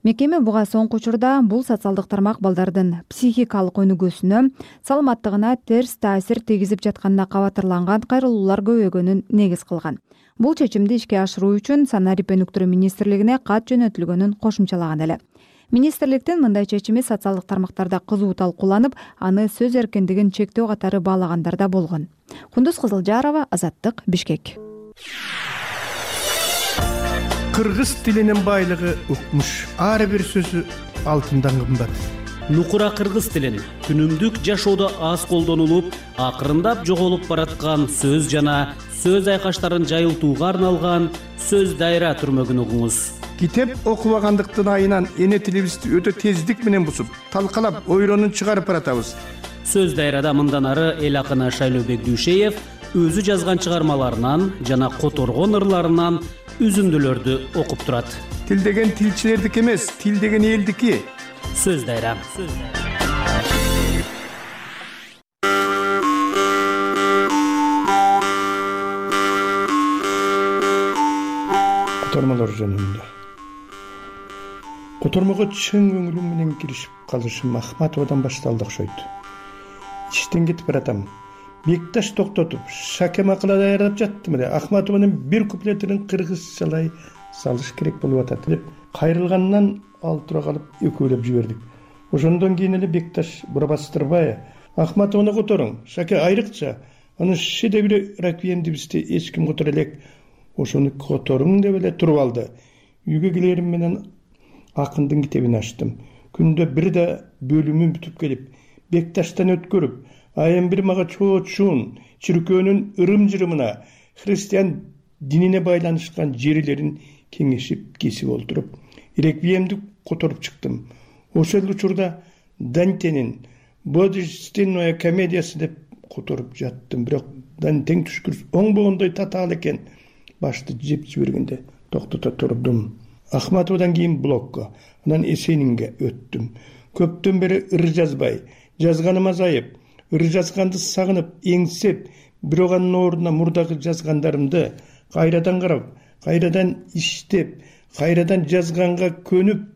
Мекеме буга соңку учурда бул социалдык тармак балдардын психикалык өнүгүүсүнө, саламаттыгына терс таасир тийгизип жатканына кабатырланган кайрылуулар көбөйгөнүн негиз кылган. Бул чечимди ишке ашыруу үчүн Санарип өнүктүрүү министрлигине кат жөнөтүлгөнүн кошумчалаган эле. Министрликтин мындай чечими социалдык тармактарда кызуу талкууланып, аны сөз эркиндигин чектөө катары баалагандар да болгон. Кундуз Кызылжарова, Азаттык, Бишкек. Кыргыз тилинин байлыгы укмуш. Ар бир сөзү алтындан кымбат. Нукура кыргыз тилин күнүмдүк жашоодо аз колдонулуп, акырындап жоголуп бараткан сөз жана сөз айкаштарын жайылтууга арналган сөз дайра түрмөгүн угуңуз. Китеп окубагандыктын айынан эне тилибизди өтө тездик менен бусуп, талкалап, ойронун чыгарып баратабыз. Сөз дайрада мындан ары эл акыны Шайлообек Дүйшеев өзү жазган чыгармаларынан жана которгон ырларынан үзүндүлөрдү окуп турат. Тил деген тилчилердики эмес, тил деген элдики. Сөз дайра. Котормолор жөнүндө. Котормого чын көңүлүм менен киришип калышым Ахматовадан башталды окшойт. Иштен кетип баратам. Бекташ токтотуп, шаке макала даярдап жаттым эле. Ахматованын бир куплетин кыргызчалай салыш керек болуп атат деп кайрылгандан ал тура калып экөөлөп жибердик. Ошондон кийин эле Бекташ бурабастырбай Ахматованы которуң, шаке айрыкча аны шедеври реквиемди бизде эч ким котор элек. Ошону которуң деп эле туруп алды. Үйгө келерим менен акындын китебин ачтым. Күндө бир да бөлүмүн бүтүп келип, Бекташтан өткөрүп, айым бир мага чоочун чиркөөнүн ырым-жырымына, христиан динине байланышкан жерлерин кеңешип кесип олтуруп, реквиемди которуп чыктым. Ошол учурда Дантенин Божественная комедиясы деп которуп жаттым. Бирок Дантен түшкүрүс оңбогондой татаал экен. Башты жеп жибергенде токтото турдум. Ахматовадан кийин блокко, анан Эсенинге өттүм. Көптөн бери ыр жазбай, жазганым азайып, ыр жазганды сагынып, эңсеп, бирок анын ордуна мурдагы жазгандарымды кайрадан карап, кайрадан иштеп, кайрадан жазганга көнүп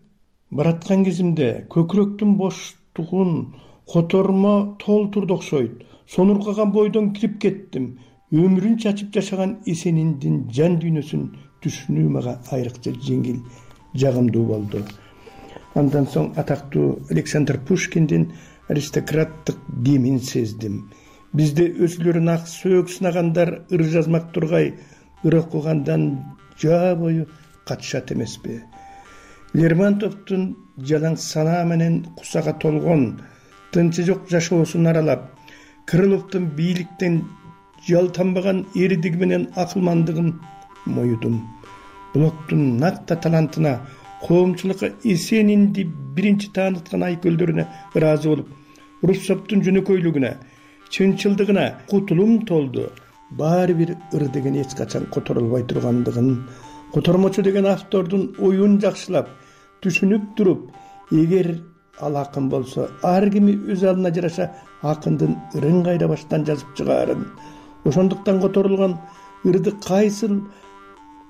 бараткан кезимде көкүрөктүн боштугун котормо толтурду окшойт. Сонуркаган бойдон кирип кеттим. Өмүрүн чачып жашаган Эсениндин жан дүйнөсүн түшүнүү мага айрыкча жеңил, жагымдуу болду. Андан соң атактуу Александр Пушкиндин аристократтык демин сездим. Бизде өзүлөрүн ак сөөк сынагандар ыр жазмак тургай, ыр окугандан жаа бою катышат эмеспи. Лермонтовдун жалаң санаа менен кусага толгон, тынчы жок жашоосун аралап, Крыловдун бийликтен жалтанбаган эридиги менен акылмандыгын моюдум. Блоктун накта талантына, коомчулукка Эсенинди биринчи тааныткан айкөлдөрүнө ыраазы болуп, Руссоптун жөнөкөйлүгүнө, чынчылдыгына кутулум толду. Баары бир ыр деген эч качан которулбай тургандыгын, котормочу деген автордун оюн жакшылап, түшүнүп туруп, эгер ал акын болсо, ар кими өз алына жараша акындын ырын кайра баштан жазып чыгаарын, ошондуктан которулган ырды кайсыл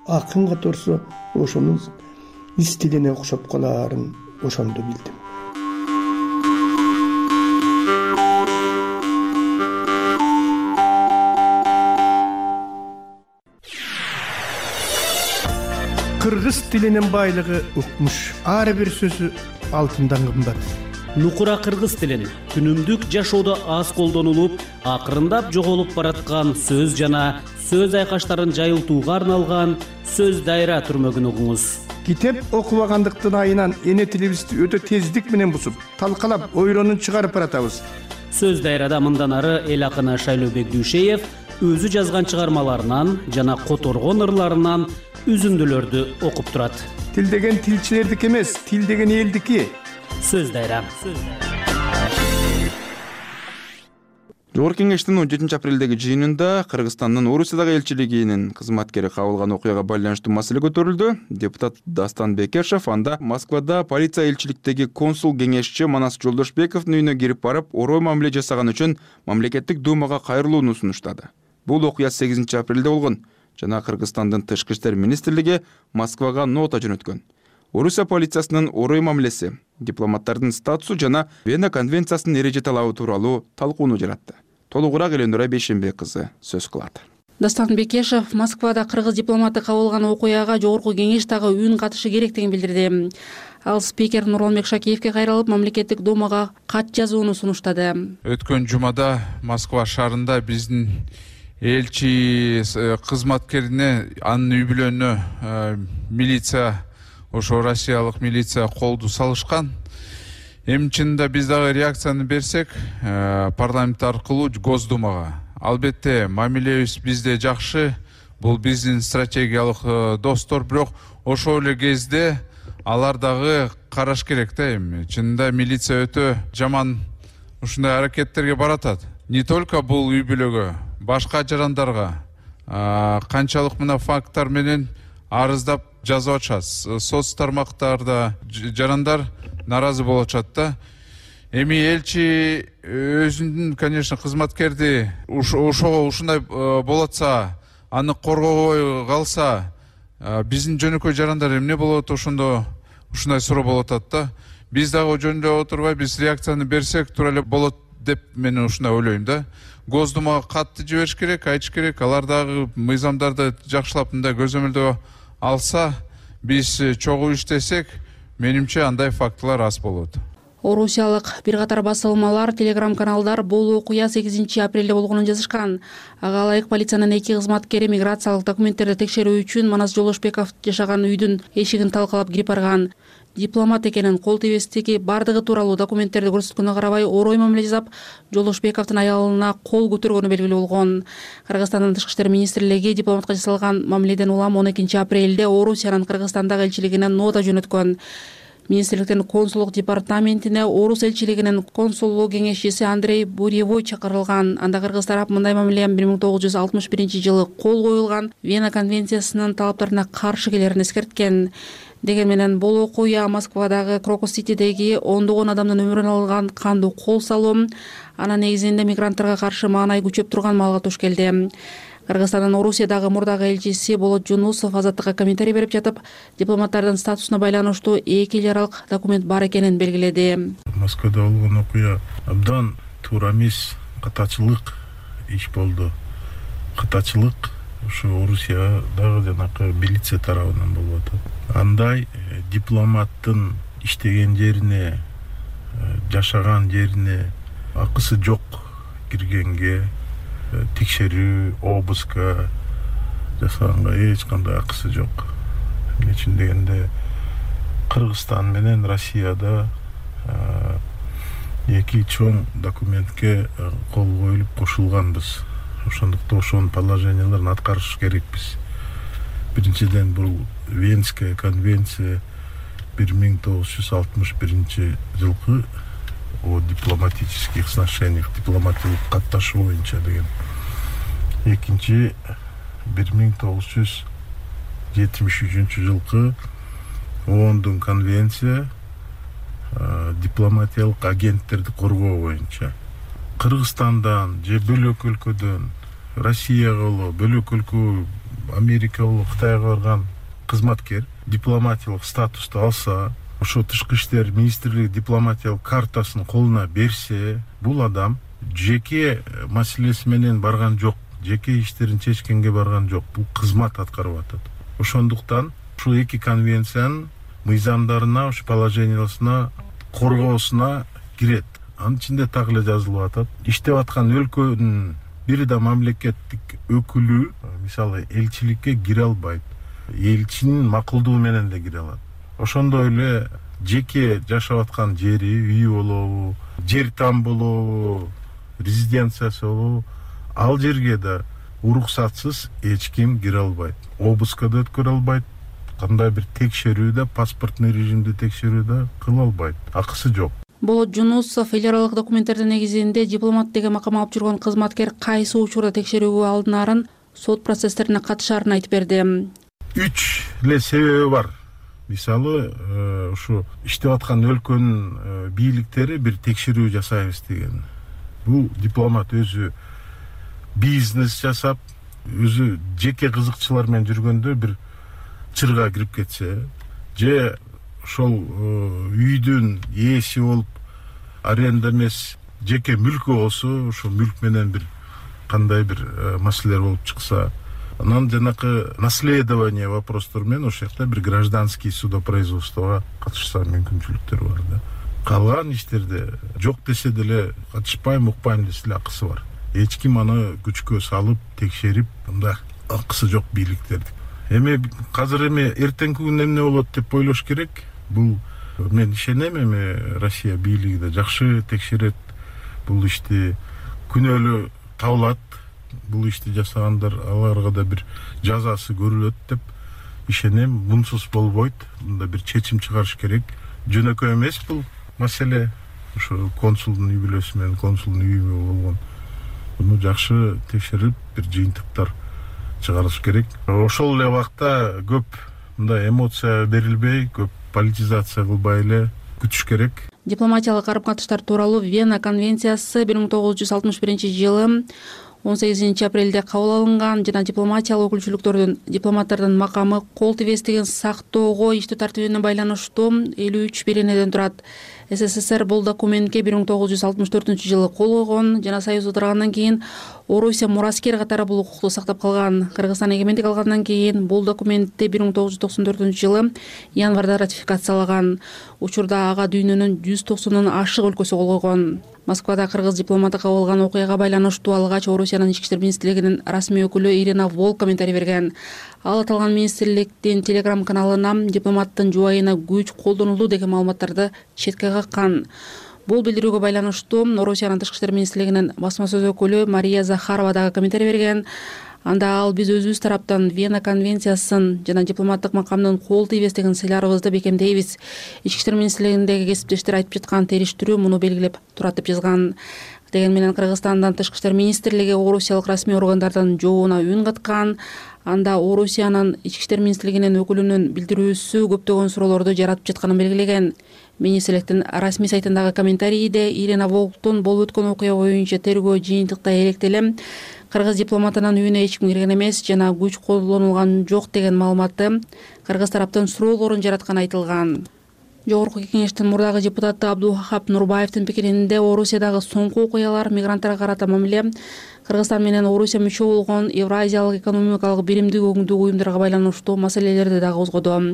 акын каторсо, ошонун стилине окшоп калаарын ошондо билдим. Кыргыз тилинин байлыгы укмуш. Ар бир сөзү алтындан кымбат. Нукура кыргыз тилин күнүмдүк жашоодо аз колдонулуп, акырындап жоголуп бараткан сөз жана сөз айкаштарын жайылтууга арналган сөз дайра түрмөгүн угуңуз. Китеп окубагандыктын айынан эне тилибизди өтө тездик менен бусуп, талкалап, ойронун чыгарып баратабыз. Сөз дайрада мындан ары эл акыны Шайлообек Дүйшеев өзү жазган чыгармаларынан жана которгон ырларынан үзүндүлөрдү окуп турат. Тил деген тилчилердики эмес, тил деген элдики. Сөз дайра. Жогорку Кеңештин 17 апрелдеги жыйынында Кыргызстандын Орусиядагы элчилигинин кызматкери кабылган окуяга байланыштуу маселе көтөрүлдү. Депутат Дастан Бекешев анда Москвада полиция элчиликтеги консул кеңешчи Манас Жолдошбековдун үйүнө кирип барып, орой мамиле жасаган үчүн мамлекеттик думага кайрылууну сунуштады. Бул окуя 8 апрелде болгон жана Кыргызстандын Тышкы иштер министрлиги Москвага нота жөнөткөн. Орусия полициясынын орой мамилеси, дипломаттардын статусу жана Вена конвенциясынын эреже талабы тууралуу талкууну жаратты. Толугураак Эленора Бейшенбек кызы сөз кылат. Дастан Бекешев Москвада кыргыз дипломаты кабылган окуяга жогорку кеңеш дагы үн катышы керектигин билдирди. Ал спикер Нурланбек Шакиевке кайрылып, мамлекеттик думага кат жазууну сунуштады. Өткөн жумада Москва шаарында биздин элчи кызматкерине, анын үй бүлөнүнө милиция, ошо Россиялык милиция колду салышкан. Эми чынында биз дагы реакцияны берсек, парламент аркылуу Госдумага. Албетте, мамилебиз бизде жакшы, бул биздин стратегиялык достор, бирок ошол эле кезде алар дагы караш керек да эми. Чынында милиция өтө жаман ушундай аракеттерге баратат. Не только бул үй бүлөгө, башка жарандарга канчалык мына факттар менен арыздап жазып атышат. Соц тармактарда жарандар наразы болуп атышат да. Эми элчи өзүнүн, конечно, кызматкерди ушундай болуп атса, аны коргобой калса, биздин жөнөкөй жарандар эмне болот, ошондо ушундай суроо болуп атат да. Биз дагы жөндөп отурбай, биз реакцияны берсек туура эле болот деп мен ушундай ойлойм да. Госдумага катты жибериш керек, айтыш керек, алар дагы мыйзамдарды жакшылап мындай көзөмөлдөө алса, биз чогуу иштесек, менимче андай фактылар аз болот. Орусиялык бир катар басылмалар, телеграм-каналдар бул окуя 8 апрелде болгонун жазышкан. Ага ылайык полициянын 2 кызматкери миграциялык документтерди текшерүү үчүн Манас Жолдошбеков жашаган үйдүн эшигин талкалап кирип барган. Дипломат экенин, кол тийбестиги бардыгы тууралуу документтерди көрсөткөнгө карабай орой мамиле жасап, Жолдошбековдун аялына кол көтөргөнү белгилүү болгон. Кыргызстандын Тышкы иштер министрлиги дипломатка жасалган мамиледен улам 12 апрелде Орусиянын Кыргызстандагы элчилигине нота жөнөткөн. Министрликтин консулдук департаментине Орус элчилигинин консулдук кеңешчиси Андрей Буревой чакырылган. Анда кыргыз тарап мындай мамиле 1961-жылы кол коюлган Вена конвенциясынын талаптарына каршы келерин эскерткен. Деген менен бул окуя Москвадагы Крокус-Ситидеги ондогон адамдын өмүрүн алган кандуу кол салуу, анын негизинде мигранттарга каршы маанай күчөп турган маалга туш келди. Кыргызстандын Орусиядагы мурдагы элчиси Болот Жунусов азаттыкка комментарий берип жатып, дипломаттардын статусуна байланыштуу 2 эл аралык документ бар экенин белгиледи. Москвада болгон окуя абдан туура эмес, катачылык иш болду. Катачылык ушу Орусиядагы жанакы милиция тарабынан болуп атат. Андай дипломаттын иштеген жерине, жашаган жерине акысы жок киргенге, текшерүү, обыска жасаганга эч кандай акысы жок. Эмне үчүн дегенде Кыргызстан менен Россияда эки чоң документке кол коюлуп кошулганбыз. Ошондуктан ошонун положенияларын аткарыш керекпиз. Биринчиден бул Венская конвенция 1961 жылкы о дипломатических сношениях, дипломатиялык катташуу боюнча деген. Экинчи 1973 жылкы ООНдун конвенция дипломатиялык агенттерди коргоо боюнча. Кыргызстандан же бөлөк өлкөдөн Россияга боло, бөлөк өлкө Америка боло, Кытайга барган кызматкер дипломатиялык статусту алса, ошо тышкы иштер министрлиги дипломатиялык картасын колуна берсе, бул адам жеке маселеси менен барган жок, жеке иштерин чечкенге барган жок, бул кызмат аткарып атат. Ошондуктан ушул эки конвенциянын мыйзамдарына, ушу положениясына, коргоосуна кирет. Анын ичинде так эле жазылып атат. Иштеп аткан өлкөнүн бир да мамлекеттик өкүлү, мисалы, элчиликке кире албайт. Элчинин макулдугу менен да кире алат. Ошондой эле жеке жашап аткан жери, үйү болобу, жер там болобу, резиденциясы болобу, ал жерге да уруксатсыз эч ким кире албайт. Обыска да өткөрө албайт. Кандай бир текшерүүдө, паспортный режимде текшерүүдө кыла албайт. Акысы жок. Болот Жунусов эл аралык документтердин негизинде дипломат деген макам алып жүргөн кызматкер кайсы учурда текшерүүгө алынарын, сот процесстерине катышаарын айтып берди. 3 эле себеби бар. Мисалы, ушу иштеп аткан өлкөнүн бийликтери бир текшерүү жасайбыз деген. Бул дипломат өзү бизнес жасап, өзү жеке кызыкчылар менен жүргөндө бир чырга кирип кетсе, же ошол үйдүн ээси болуп, аренда эмес, жеке мүлкү болсо, ошол мүлк менен бир кандай бир маселелер болуп чыкса, анан жанакы наследование вопростор менен ошол жакта бир гражданский судопроизводствого катышса мүмкүнчүлүктөр бар да. Калган иштерде жок десе деле, катышпайм, укпайм десе деле акысы бар. Эч ким аны күчкө салып, текшерип, мындай акысы жок бийликтерди. Эми азыр эртеңки күн эмне болот деп ойлош керек. Бул мен ишенем, Россия бийлиги да жакшы текшерет. Бул ишти күнөөлүү табылат. Бул ишти жасагандар, аларга да бир жазасы көрүлөт деп ишенем. Мунсуз болбойт. Мында бир чечим чыгарыш керек. Жөнөкөй эмес бул маселе. Ошо консулдун үй бүлөсү менен консулдун үйү болгон. Буну жакшы текшерип, бир жыйынтыктар чыгарыш керек. Ошол эле убакта көп мындай эмоция берилбей, көп политизация кылбай эле күтүш керек. Дипломатиялык карым-катыштар тууралуу Вена конвенциясы 1961 жылы 18 апрелде кабыл алынган жана дипломатиялык өкүлчүлүктөрдүн дипломаттардын макамы кол тибестигин сактоого иштөө тартибине байланыштуу 53 беренеден турат. СССР бул документке 1964 жылы кол койгон жана Союз отургандан кийин Орусия мураскер катары бул укукту сактап калган. Кыргызстан эгемендик алгандан кийин бул документти 1994 жылы январда ратификациялаган. Учурда ага дүйнөнүн 190 ашык өлкөсү кол койгон. Москвада кыргыз дипломаты кабылган окуяга байланыштуу алгач Орусиянын ички иштер министрлигинин расмий өкүлү Ирина Волк комментарий берген. Ал аталган министрликтин телеграм каналына дипломаттын жубайына күч колдонулду деген маалыматтарды четке каккан. Бул билдирүүгө байланыштуу Орусиянын тышкы иштер министрлигинин басма сөз өкүлү Мария Захарова дагы комментарий берген. Анда ал биз өзүбүз тараптан Вена конвенциясын жана дипломаттык макамдын кол тийбестигин сыйларыбызды бекемдейбиз. Ички иштер министрлигиндеги кесиптештер айтып жаткан териштирүү муну белгилеп турат деп жазган. Деген менен Кыргызстандын тышкы иштер министрлиги орусиялык расмий органдардын жообуна үн каткан. Анда Орусиянын ички иштер министрлигинин өкүлүнүн билдирүүсү көптөгөн суроолорду жаратып жатканын белгилеген. Министрликтин расмий сайтындагы комментарийде Ирина Волктун болуп өткөн окуя боюнча тергөө жыйынтыкта электелем кыргыз дипломатынын үйүнө эч ким кирген эмес жана күч колдонулган жок деген маалыматты кыргыз тараптын суроолорун жаратканы айтылган. Жогорку кеңештин мурдагы депутаты Абдулхап Нурбаевдин пикиринде Орусиядагы соңку окуялар мигранттарга карата мамиле Кыргызстан менен Орусия мүчө болгон Евразиялык экономикалык биримдик өкүмдүк уюмдарга байланыштуу маселелерди дагы козгоду.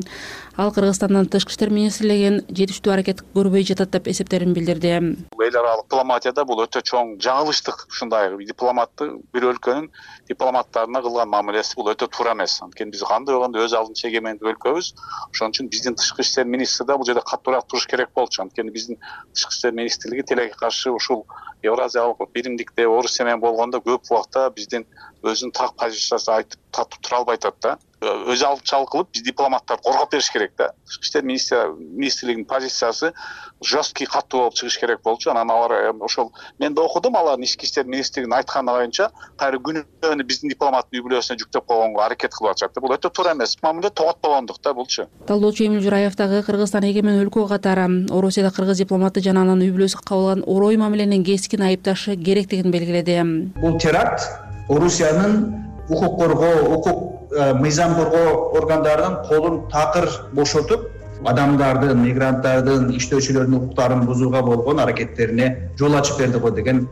Ал Кыргызстандын тышкы иштер министрлигин жетиштүү аракет көрбөй жатат деп эсептерин билдирди. Эл аралык дипломатияда бул өтө чоң жаңылыштык. Ушундай дипломаттын бир өлкөнүн дипломаттарына кылган мамилеси бул өтө туура эмес. Анткени биз кандай болгондо өз алдынча эгемендик өлкөбүз. Ошон үчүн биздин тышкы иштер министри да бул жерде каттуураак туруш керек болчу. Анткени биздин тышкы иштер министрлиги тилекке каршы ушул Евразиялык биримдикте Орусия менен болгондо көп убакта биздин өзүнүн так позициясын айтып татып тура албай атат да. Өз алдынчалык кылып биз дипломаттарды коргоп бериш керек да. Тышкы иштер министрлигинин позициясы жесткий каттуу болуп чыгыш керек болчу. Анан алар ошол мен да окудум, алардын ички иштер министрлигинин айтканы боюнча кайра күнөөнү биздин дипломаттын үй бүлөсүнө жүктөп койгонго аракет кылып атышат. Бул өтө туура эмес. Мамиле тоготпогондук да булчу. Талдоочу Эмил Жураев дагы Кыргызстан эгемен өлкө катары Орусияда кыргыз дипломаты жана анын үй бүлөсү кабыл алган орой мамиленин кескин айыпташы керектигин белгиледи. Бул теракт Орусиянын укук коргоо, мыйзам коргоо органдарынын колун такыр бошотуп, адамдардын, мигранттардын, иштөөчүлөрдүн укуктарын бузууга болгон аракеттерине жол ачып берди го деген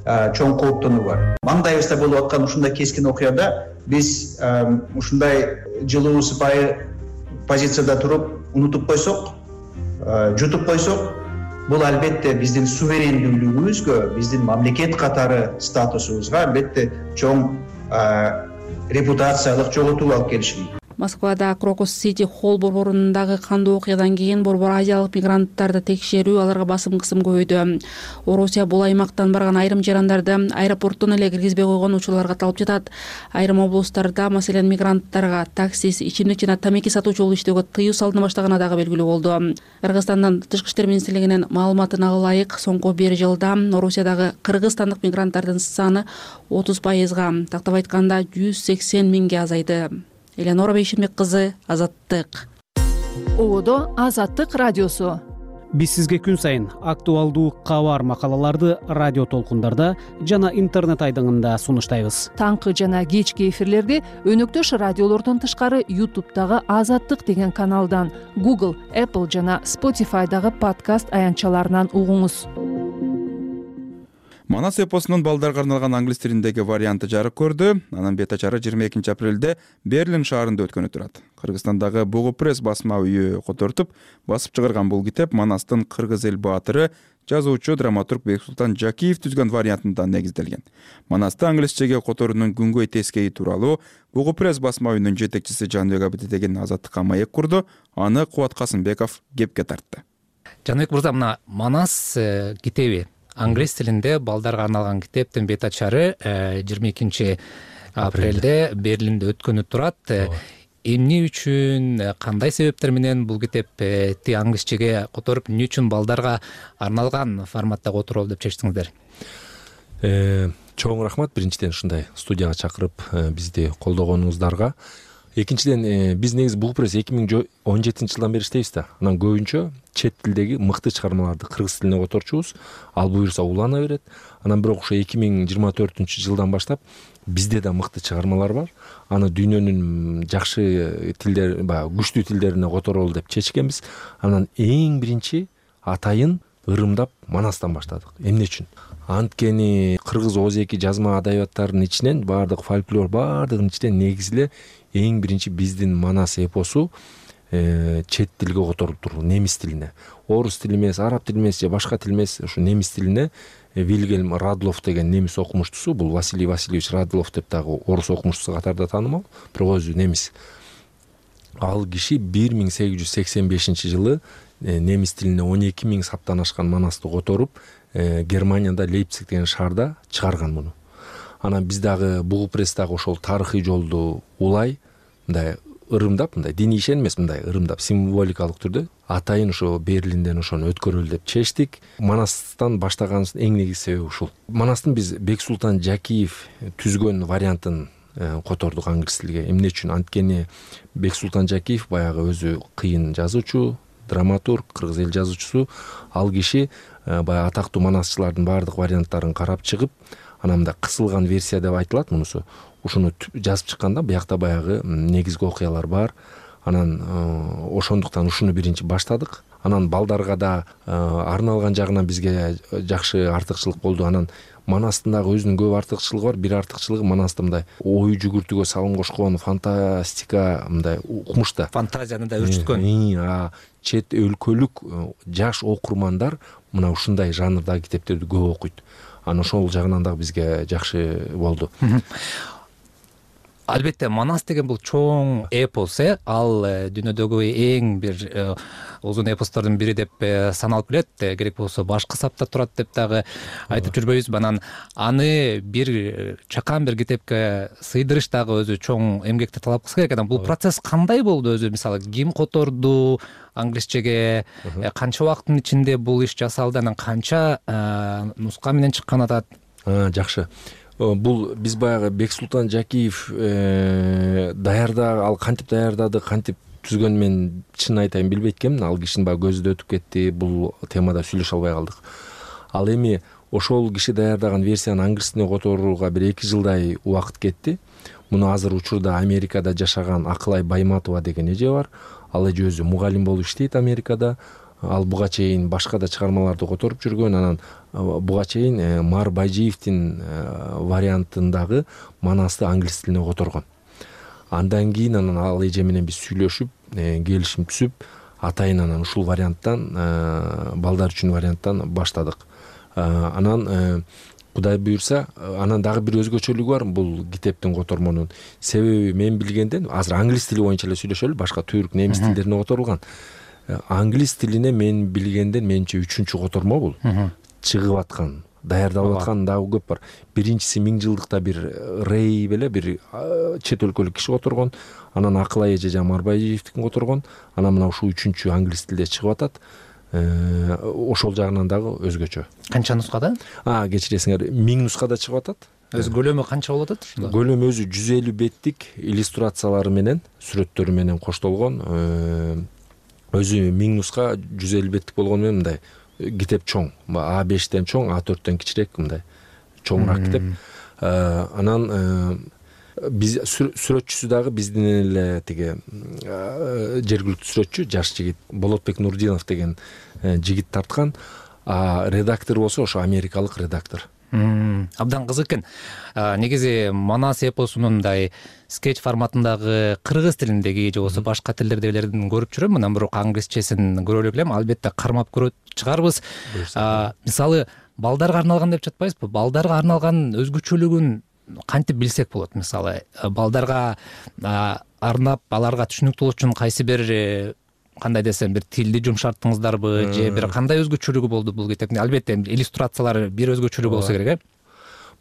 чоң кооптонуу бар. Маңдайыбызда болуп аткан ушундай кескин окуяда биз ушундай жылуу сыпайы позицияда туруп унутуп койсок, жутуп койсок, бул албетте биздин суверендүүлүгүбүзгө, биздин мамлекет катары статусубузга албетте чоң репутациялык жоготуу алып келиши мүмкүн. Москвада Крокус Сити Холл борборундагы кандуу окуядан кийин борбор азиялык мигранттарды текшерүү, аларга басым кысым көбөйдү. Орусия бул аймактан барган айрым жарандарды аэропорттон эле киргизбей койгон учурлар катталып жатат. Айрым облустарда, маселен, мигранттарга таксист, ичимдик жана тамеки сатуучу болуп иштөөгө тыюу салына баштаганы дагы белгилүү болду. Кыргызстандын тышкы иштер министрлигинин маалыматына ылайык, соңку 1 жылда Орусиядагы кыргызстандык мигранттардын саны 30%, тактап айтканда 180 миңге азайды. Элеонора Бейшенбек кызы, Азаттык. Ободо Азаттык радиосу. Биз сизге күн сайын актуалдуу кабар макалаларды радио толкундарда жана интернет айдыңында сунуштайбыз. Таңкы жана кечки эфирлерди өнөктөш радиолордон тышкары YouTube'дагы Азаттык деген каналдан, Google, Apple жана Spotify'дагы подкаст аянтчаларынан угуңуз. Манас эпосунун балдарга арналган англис тилиндеги варианты жарык көрдү. Анын бет ачары 22 апрелде Берлин шаарында өткөнү турат. Кыргызстандагы Бугу пресс басма үйү котортуп басып чыгарган бул китеп Манастын кыргыз эл баатыры, жазуучу, драматург Бексултан Жакиев түзгөн вариантында негизделген. Манасты англисчеге которуунун күнгөй тескейи тууралуу Бугу пресс басма үйүнүн жетекчиси Жаныбек Абдидеген Азаттыкка маек курду. Аны Кубат Касымбеков кепке тартты. Жаныбек мырза, мына Манас китеби англис тилинде балдарга арналган китептин бет ачары 22 апрелде Берлинде өткөнү турат. Эмне үчүн, кандай себептер менен бул китепти англисчеге которуп, эмне үчүн балдарга арналган форматта которолу деп чечтиңиздер? Чоң рахмат биринчиден ушундай студияга чакырып бизди колдогонуңуздарга. Экинчиден биз негизи Бугу пресс 2017 жылдан бери иштейбиз да. Анан көбүнчө чет тилдеги мыкты чыгармаларды кыргыз тилине которчубуз. Ал буюрса улана берет. Анан бирок ошо 2024 жылдан баштап бизде да мыкты чыгармалар бар. Аны дүйнөнүн жакшы тилдер, күчтүү тилдерине которолу деп чечкенбиз. Анан эң биринчи атайын ырымдап Манастан баштадык. Эмне үчүн? Анткени кыргыз озеки жазма адабияттарынын ичинен баардык фольклор баардыгынын ичинен негизи эле эң биринчи биздин Манас эпосу чет тилге которулуп турду, немис тилине. Орус тили эмес, араб тили эмес же башка тил эмес, ушу немис тилине Вильгельм Радлов деген немис окумуштусу, бул Василий Васильевич Радлов деп дагы орус окумуштусу катарда таанымал, бирок өзү немис. Ал киши 1885 жылы немис тилине 12 000 саптан ашкан Манасты которуп, Германияда Лейпциг деген шаарда чыгарган муну. Анан биз дагы Бугу пресс дагы ошол тарыхый жолду улай, мындай ырымдап, мындай диний ишен эмес, мындай ырымдап символикалык түрдө атайын ошо Берлинден ошону өткөрөлү деп чечтик. Манастан баштаганыбыздын эң негизги себеби ушул. Манастын биз Бексултан Жакиев түзгөн вариантын котордук англис тилге. Эмне үчүн? Анткени Бексултан Жакиев баягы өзү кыйын жазуучу, драматург, кыргыз эл жазуучусу. Ал киши баягы атактуу манасчылардын баардык варианттарын карап чыгып, анан мындай кысылган версия деп айтылат мунусу. Ушуну жазып чыкканда биякта баягы негизги окуялар бар. анан ошондуктан ушуну биринчи баштадык. Анан балдарга да арналган жагынан бизге жакшы артыкчылык болду. Анан Манастын дагы өзүнүн көп артыкчылыгы бар. Бир артыкчылыгы Манаста мындай ой жүгүртүүгө салым кошкон, фантастика мындай укмуш да. Фантазияны да өрчүткөн. Чет өлкөлүк жаш окурмандар мына ушундай жанрдагы китептерди көп окуйт. Анан ошол жагынан дагы бизге жакшы болду. Албетте Манас деген бул чоң эпос, ал дүйнөдөгү эң бир узун эпостордун бири деп саналып келет. Керек болсо башкы сапта турат деп дагы айтып жүрбөйбүзбү. Анан аны бир чакан бир китепке сыйдырыш дагы өзү чоң эмгекти талап кылса керек. Анан бул процесс кандай болду өзү? Мисалы ким которду англисчеге, канча убакыттын ичинде бул иш жасалды, анан канча нуска менен чыккан атат? Жакшы. Бул биз баягы Бексултан Жакиев ал кантип даярдады, кантип түзгөнүн мен чын айтайын билбейт экенмин. Ал кишинин баягы көзү да өтүп кетти, бул темада сүйлөшө албай калдык. Ал эми ошол киши даярдаган версияны англис тилине которууга бир 2 жылдай убакыт кетти. Муну азыр учурда Америкада жашаган Акылай Байматова деген эже бар. Ал эже өзү мугалим болуп иштейт Америкада. Ал буга чейин башка да чыгармаларды которуп жүргөн. Анан буга чейин Мар Байжиевдин вариантындагы Манасты англис тилине которгон. Андан кийин анан ал эже менен биз сүйлөшүп, келишим түзүп, атайын анан ушул варианттан, балдар үчүн варианттан баштадык. Анан Кудай буйрса, анан дагы бир өзгөчөлүгү бар бул китептин котормонун. Себеби мен билгенден, азыр англис тили боюнча эле сүйлөшөлү, башка түрк, немис тилдерине которулган. Англис тилине мен билгенден менче 3-чү котормо бул. Чыгып аткан, даярдалып аткан дагы көп бар. Биринчиси 1000 жылдыкта бир Рей беле бир чет өлкөлүк киши которгон. Анан Акылай эже Марбайжиевдикин которгон. Анан мына ушул 3-чү англис тилде чыгып атат. Ошол жагынан дагы өзгөчө. Канча нускада? Кечиресиңер, 1000 нускада чыгып атат. Өзү көлөмү канча болуп атат? Көлөмү өзү 150 беттик иллюстрациялары менен, сүрөттөрү менен коштолгон. Өзү 1000 нуска 150 беттик болгону менен мындай китеп чоң. А5тен чоң, А4тен кичирээк мындай чоңураак китеп. Анан биз сүрөтчүсү дагы биздин эле тиги жергиликтүү сүрөтчү, жаш жигит Болотбек Нурдинов деген жигит тарткан. Редактор болсо ошо америкалык редактор. Абдан кызык экен. Негизи Манас эпосунун мындай скетч форматындагы кыргыз тилиндеги же болбосо башка тилдердегилерин көрүп жүрөм. Анан бирок англисчесин көрө элек элем. Албетте кармап көрөт чыгарбыз. Мисалы балдарга арналган деп жатпайбызбы? Балдарга арналган өзгөчөлүгүн кантип билсек болот? Мисалы балдарга арнап аларга түшүнүктүү болуш үчүн кайсы бир кандай десем бир тилди жумшарттыңыздарбы же бир кандай өзгөчөлүгү болду бул китептин? Албетте иллюстрациялары бир өзгөчөлүгү болсо керек,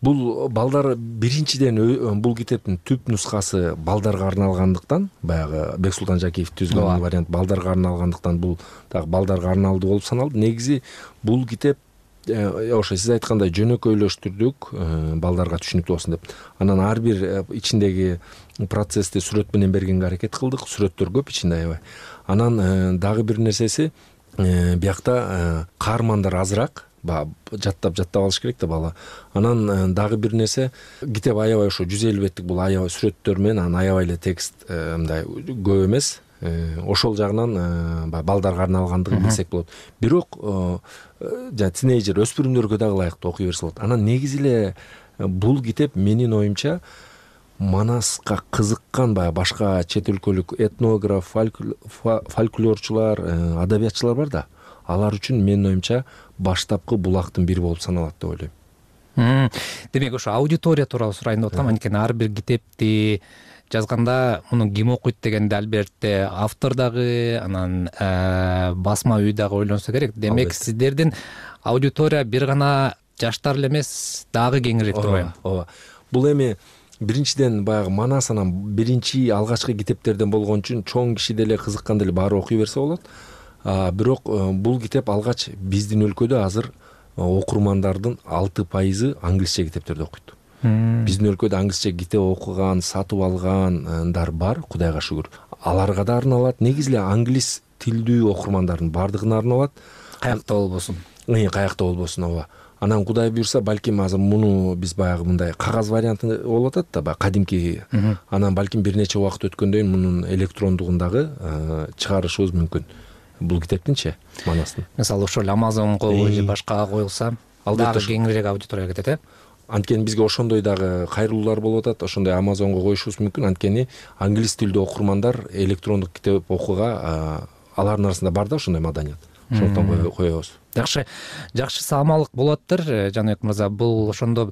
Бул балдар биринчиден бул китептин түп нускасы балдарга арналгандыктан, баягы Бексултан Жакиев түзгөн вариант балдарга арналгандыктан бул дагы балдарга арналды болуп саналды. Негизи бул китеп ошо сиз айткандай жөнөкөйлөштүрдүк, балдарга түшүнүктүү болсун деп. Анан ар бир ичиндеги процессти сүрөт менен бергенге аракет кылдык. Сүрөттөр көп ичинде аябай. Анан дагы бир нерсеси, биякта каармандар азыраак, жаттап алыш керек да бала. Анан дагы бир нерсе, китеп аябай ошо 150 беттик бул аябай сүрөттөр менен, анан аябай эле текст мындай көп эмес. Ошол жагынан балдарга арналгандыгын билсек болот. Бирок тинейджер өспүрүмдөргө дагы ылайыктуу окуй берсе болот. Анан негизи эле бул китеп менин оюмча Манаска кызыккан башка чет өлкөлүк этнограф, фольклорчулар, адабиятчылар бар да. Алар үчүн менин оюмча баштапкы булактын бири болуп саналат деп ойлойм. Демек ошо аудитория тууралуу сурайын деп атам. Анткени ар бир китепти жазганда муну ким окуйт дегенде албетте автор дагы, анан басма үй дагы ойлонсо керек. Демек сиздердин аудитория бир гана жаштар эле эмес, дагы кеңирээк турбайбы? Ооба. Бул эми биринчиден баягы Манас анан биринчи алгачкы китептерден болгон үчүн чоң киши деле кызыккан деле баары окуй берсе болот. Бирок бул китеп алгач биздин өлкөдө азыр окурмандардын 6% англисче китептерди окуйт. Биздин өлкөдө англисче китеп окуган, сатып алгандар бар, Кудайга шүгүр. Аларга да арналат. Негизи эле англис тилдүү окурмандардын бардыгына арналат. Каякта болбосун. Каякта болбосун, ооба. Анан Кудай буюрса балким азыр муну биз баягы мындай кагаз варианты болуп атат да, баягы кадимки. Анан балким бир нече убакыт өткөндөн кийин мунун электрондугун дагы чыгарышыбыз мүмкүн. Бул китептинчи Манастын. Мисалы ошол Amazonго же башкага коюлса, дагы кеңирээк аудиторияга кетет, Анткени бизге ошондой дагы кайрылуулар болуп атат. Ошондой Amazonго коюшубуз мүмкүн. Анткени англис тилдүү окурмандар электрондук китеп окууга алардын арасында бар да ошондой маданият. Ошондон коебуз. Жакшы саамалык болоттур, Жаныбек мырза. Бул ошондо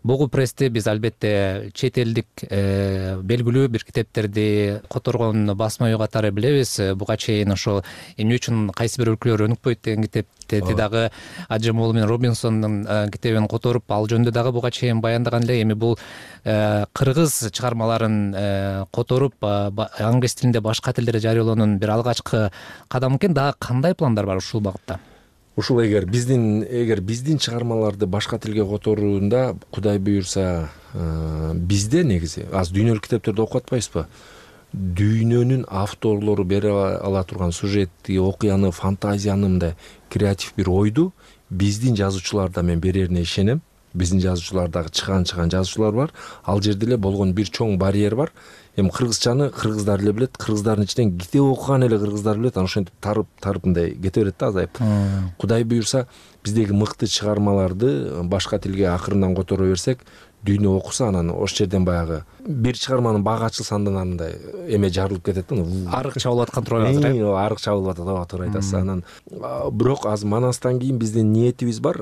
Бугу прессте биз албетте чет элдик белгилүү бир китептерди которгон басма үй катары билебиз. Буга чейин ошол эмне үчүн кайсы бир өлкөлөр өнүкпөйт деген китепти дагы Аджемолу менен Робинсондун китебин которуп, ал жөнүндө дагы буга чейин баяндаган эле. Эми бул кыргыз чыгармаларын которуп англис тилинде башка тилдерде жарыялоонун бир алгачкы кадам экен. Дагы кандай пландар бар ушул багытта? Ушул эгер биздин чыгармаларды башка тилге которуунда Кудай буюрса бизде негизи аз дүйнөлүк китептерди окуп атпайбызбы? Дүйнөнүн авторлору бере ала турган сюжетти, окуяны, фантазияны, мындай креатив бир ойду биздин жазуучуларда мен берерине ишенем. Биздин жазуучулардагы чыган жазуучулар бар. Ал жерде эле болгон бир чоң барьер бар. Эми кыргызчаны кыргыздар эле билет, кыргыздардын ичинен китеп окуган эле кыргыздар билет. Анан ошентип тарып мындай кете берет да, азайып. Кудай буюрса биздеги мыкты чыгармаларды башка тилге акырындан которо берсек, дүйнө окуса, анан ошол жерден баягы бир чыгарманын багы ачылса андай эме жарылып кетет да. Арыкча болуп аткан турат азыр. Арыкча болуп атат, туура айтасыз. Анан бирок азыр Манастан кийин биздин ниетибиз бар.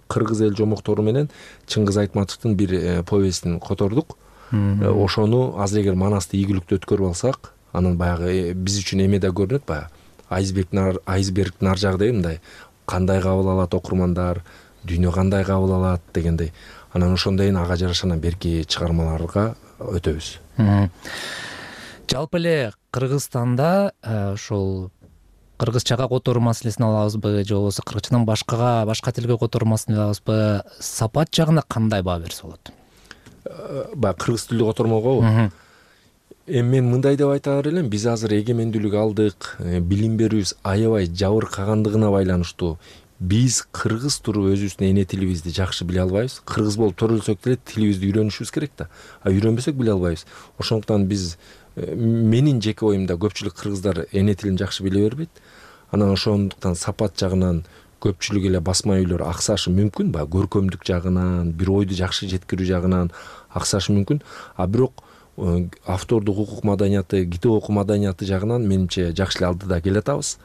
Кыргыз эл жомоктору менен Чыңгыз Айтматовдун бир повестин котордук. Ошону азыр эгер Манасты ийгиликтүү өткөрүп алсак, анан баягы биз үчүн эме да көрүнөт, баягы айсбергдин ар жагы мындай кандай кабыл алат окурмандар, дүйнө кандай кабыл алат дегендей. Анан ошондойн ага жараша берки чыгармаларга өтөбүз. Жалпы эле Кыргызстанда ошол кыргызчага которуу маселесин алабызбы, же болбосо кыргызчадан башка тилге которуу маселесин алабызбы? Сапат жагына кандай баа берсе болот? Баягы кыргыз тилдүү котормогобу? Эми мен мындай деп айтаар элем, биз азыр эгемендүүлүк алдык, билим берүүбүз аябай жабыркагандыгына байланыштуу. Биз кыргыз туруп өзүбүздүн эне тилибизди жакшы биле албайбыз. Кыргыз болуп төрөлсөк деле тилибизди үйрөнүшүбүз керек да. Үйрөнбөсөк биле албайбыз. Ошондуктан биз, менин жеке оюмда, көпчүлүк кыргыздар эне тилин жакшы биле бербейт. Анан ошондуктан сапат жагынан көпчүлүк эле басма үйлөр аксашы мүмкүн, баягы көркөмдүк жагынан, бир ойду жакшы жеткирүү жагынан аксашы мүмкүн. Бирок автордук укук маданияты, китеп окуу маданияты жагынан менимче жакшы эле алдыда келе атабыз.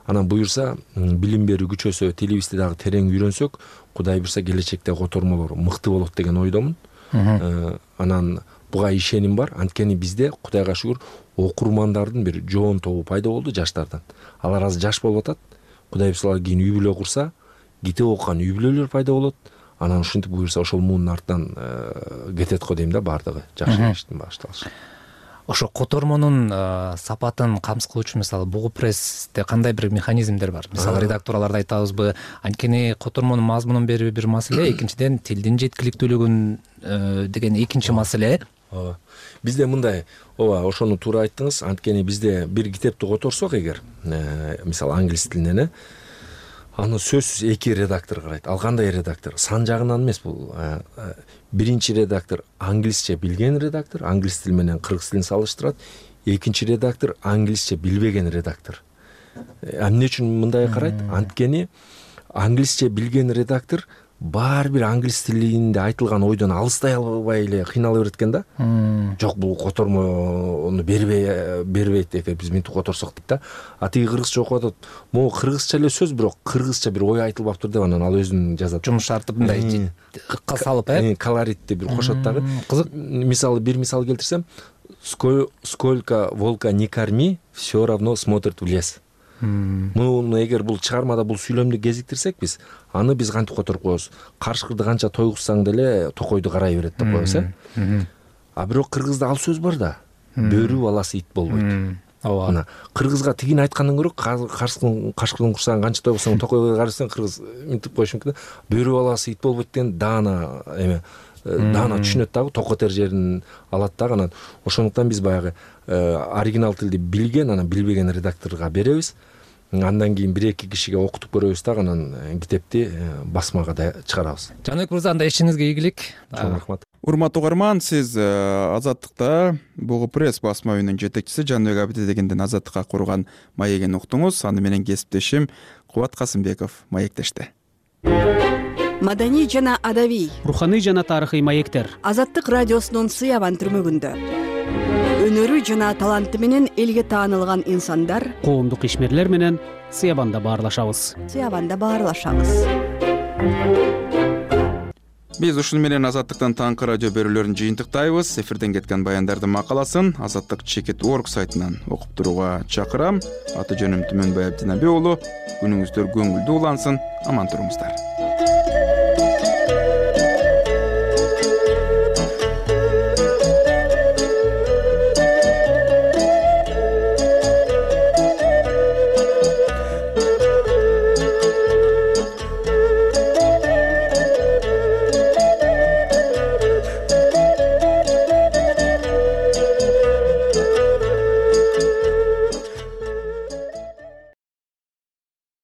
Анан буюрса, билим берүү күчөсө, тилибизди дагы терең үйрөнсөк, Кудай буюрса келечекте котормолор мыкты болот деген ойдомун. Анан буга ишеним бар. Анткени бизде Кудайга шүгүр окурмандардын бир жоон тобу пайда болду жаштардан. Алар азыр жаш болуп атат. Кудай буюрса кийин үй бүлө курса, китеп окуган үй бүлөлөр пайда болот. Анан ушинтип буюрса ошол муунун артынан кетет го дейм да, баардыгы жакшы иштин башталышы. Ошо котормонун сапатын камсыз кылуучу мисалы Бугу прессте кандай бир механизмдер бар? Мисалы редакторлорду айтабызбы, анткени котормонун мазмунун берүү бир маселе, экинчиден тилдин жеткиликтүүлүгүн деген экинчи маселе. Бизде мындай, ошону туура айттыңыз. Анткени бизде бир китепти которсок эгер, мисалы англис тилинен, аны сөзсүз эки редактор карайт. Ал кандай редактор? Сан жагынан эмес бул. Биринчи редактор англисче билген редактор, англис тили менен кыргыз тилин салыштырат. Экинчи редактор англисче билбеген редактор. Эмне үчүн мындай карайт? Анткени англисче билген редактор баары бир англис тилинде айтылган ойдон алыстай албай эле кыйнала берет экен да. Жок, бул котормону бербейт экен, биз мынтип которсок дейт да. Тиги кыргызча окуп атат. Могу кыргызча эле сөз, бирок кыргызча бир ой айтылбаптыр деп анан ал өзүн жазат. Жумшартып мындай ыкка салып, колоритти бир кошот дагы. Кызык. Мисалы бир мисал келтирсем, сколько волка не корми, все равно смотрит в лес. Муну эгер бул чыгармада бул сүйлөмдү кезиктирсек биз, аны биз кантип которуп коебуз? Карышкырды канча тойгузсаң деле токойду карай берет деп коебуз, бирок кыргызда ал сөз бар да. Бөрү баласы ит болбойт. Ооба. Кыргызга тигин айткандан көрө кашкырдын курсагын канча тойгузсаң токойго карасаң, кыргыз мынтип коюш мүмкүн. Бөрү баласы ит болбойт деген даана түшүнөт дагы, токотер жерин алат дагы. Анан ошондуктан биз баягы оригинал тилди билген, анан билбеген редакторго беребиз. андан кийин 1-2 кишиге окутуп көрөбүз дагы анан китепти басмага да чыгарабыз. Жаныбек мырза, анда ишиңизге ийгилик. Чоң рахмат. Урматтуу угарман, сиз Азаттыкта Бугу пресс басма үйүнүн жетекчиси Жаныбек Абдидегенден Азаттыкка курган маегин уктуңуз. Аны менен кесиптешим Кубат Касымбеков маектешти. Маданий жана адабий, руханий жана тарыхый маектер Азаттык радиосунун Сыябан түрмөгүндө. Өнөрү жана таланты менен элге таанылган инсандар, коомдук ишмерлер менен Сыябанда баарлашабыз. Биз ушуну менен Азаттыктан таңкы радио берүүлөрүн жыйынтыктайбыз. Эфирден кеткен баяндардын макаласын Азаттык Чекит.org сайтынан окуп турууга чакырам. Аты жөнүм Түмөнбай Абдинабек уулу. Күнүңүздөр көңүлдүү улансын. Аман туруңуздар.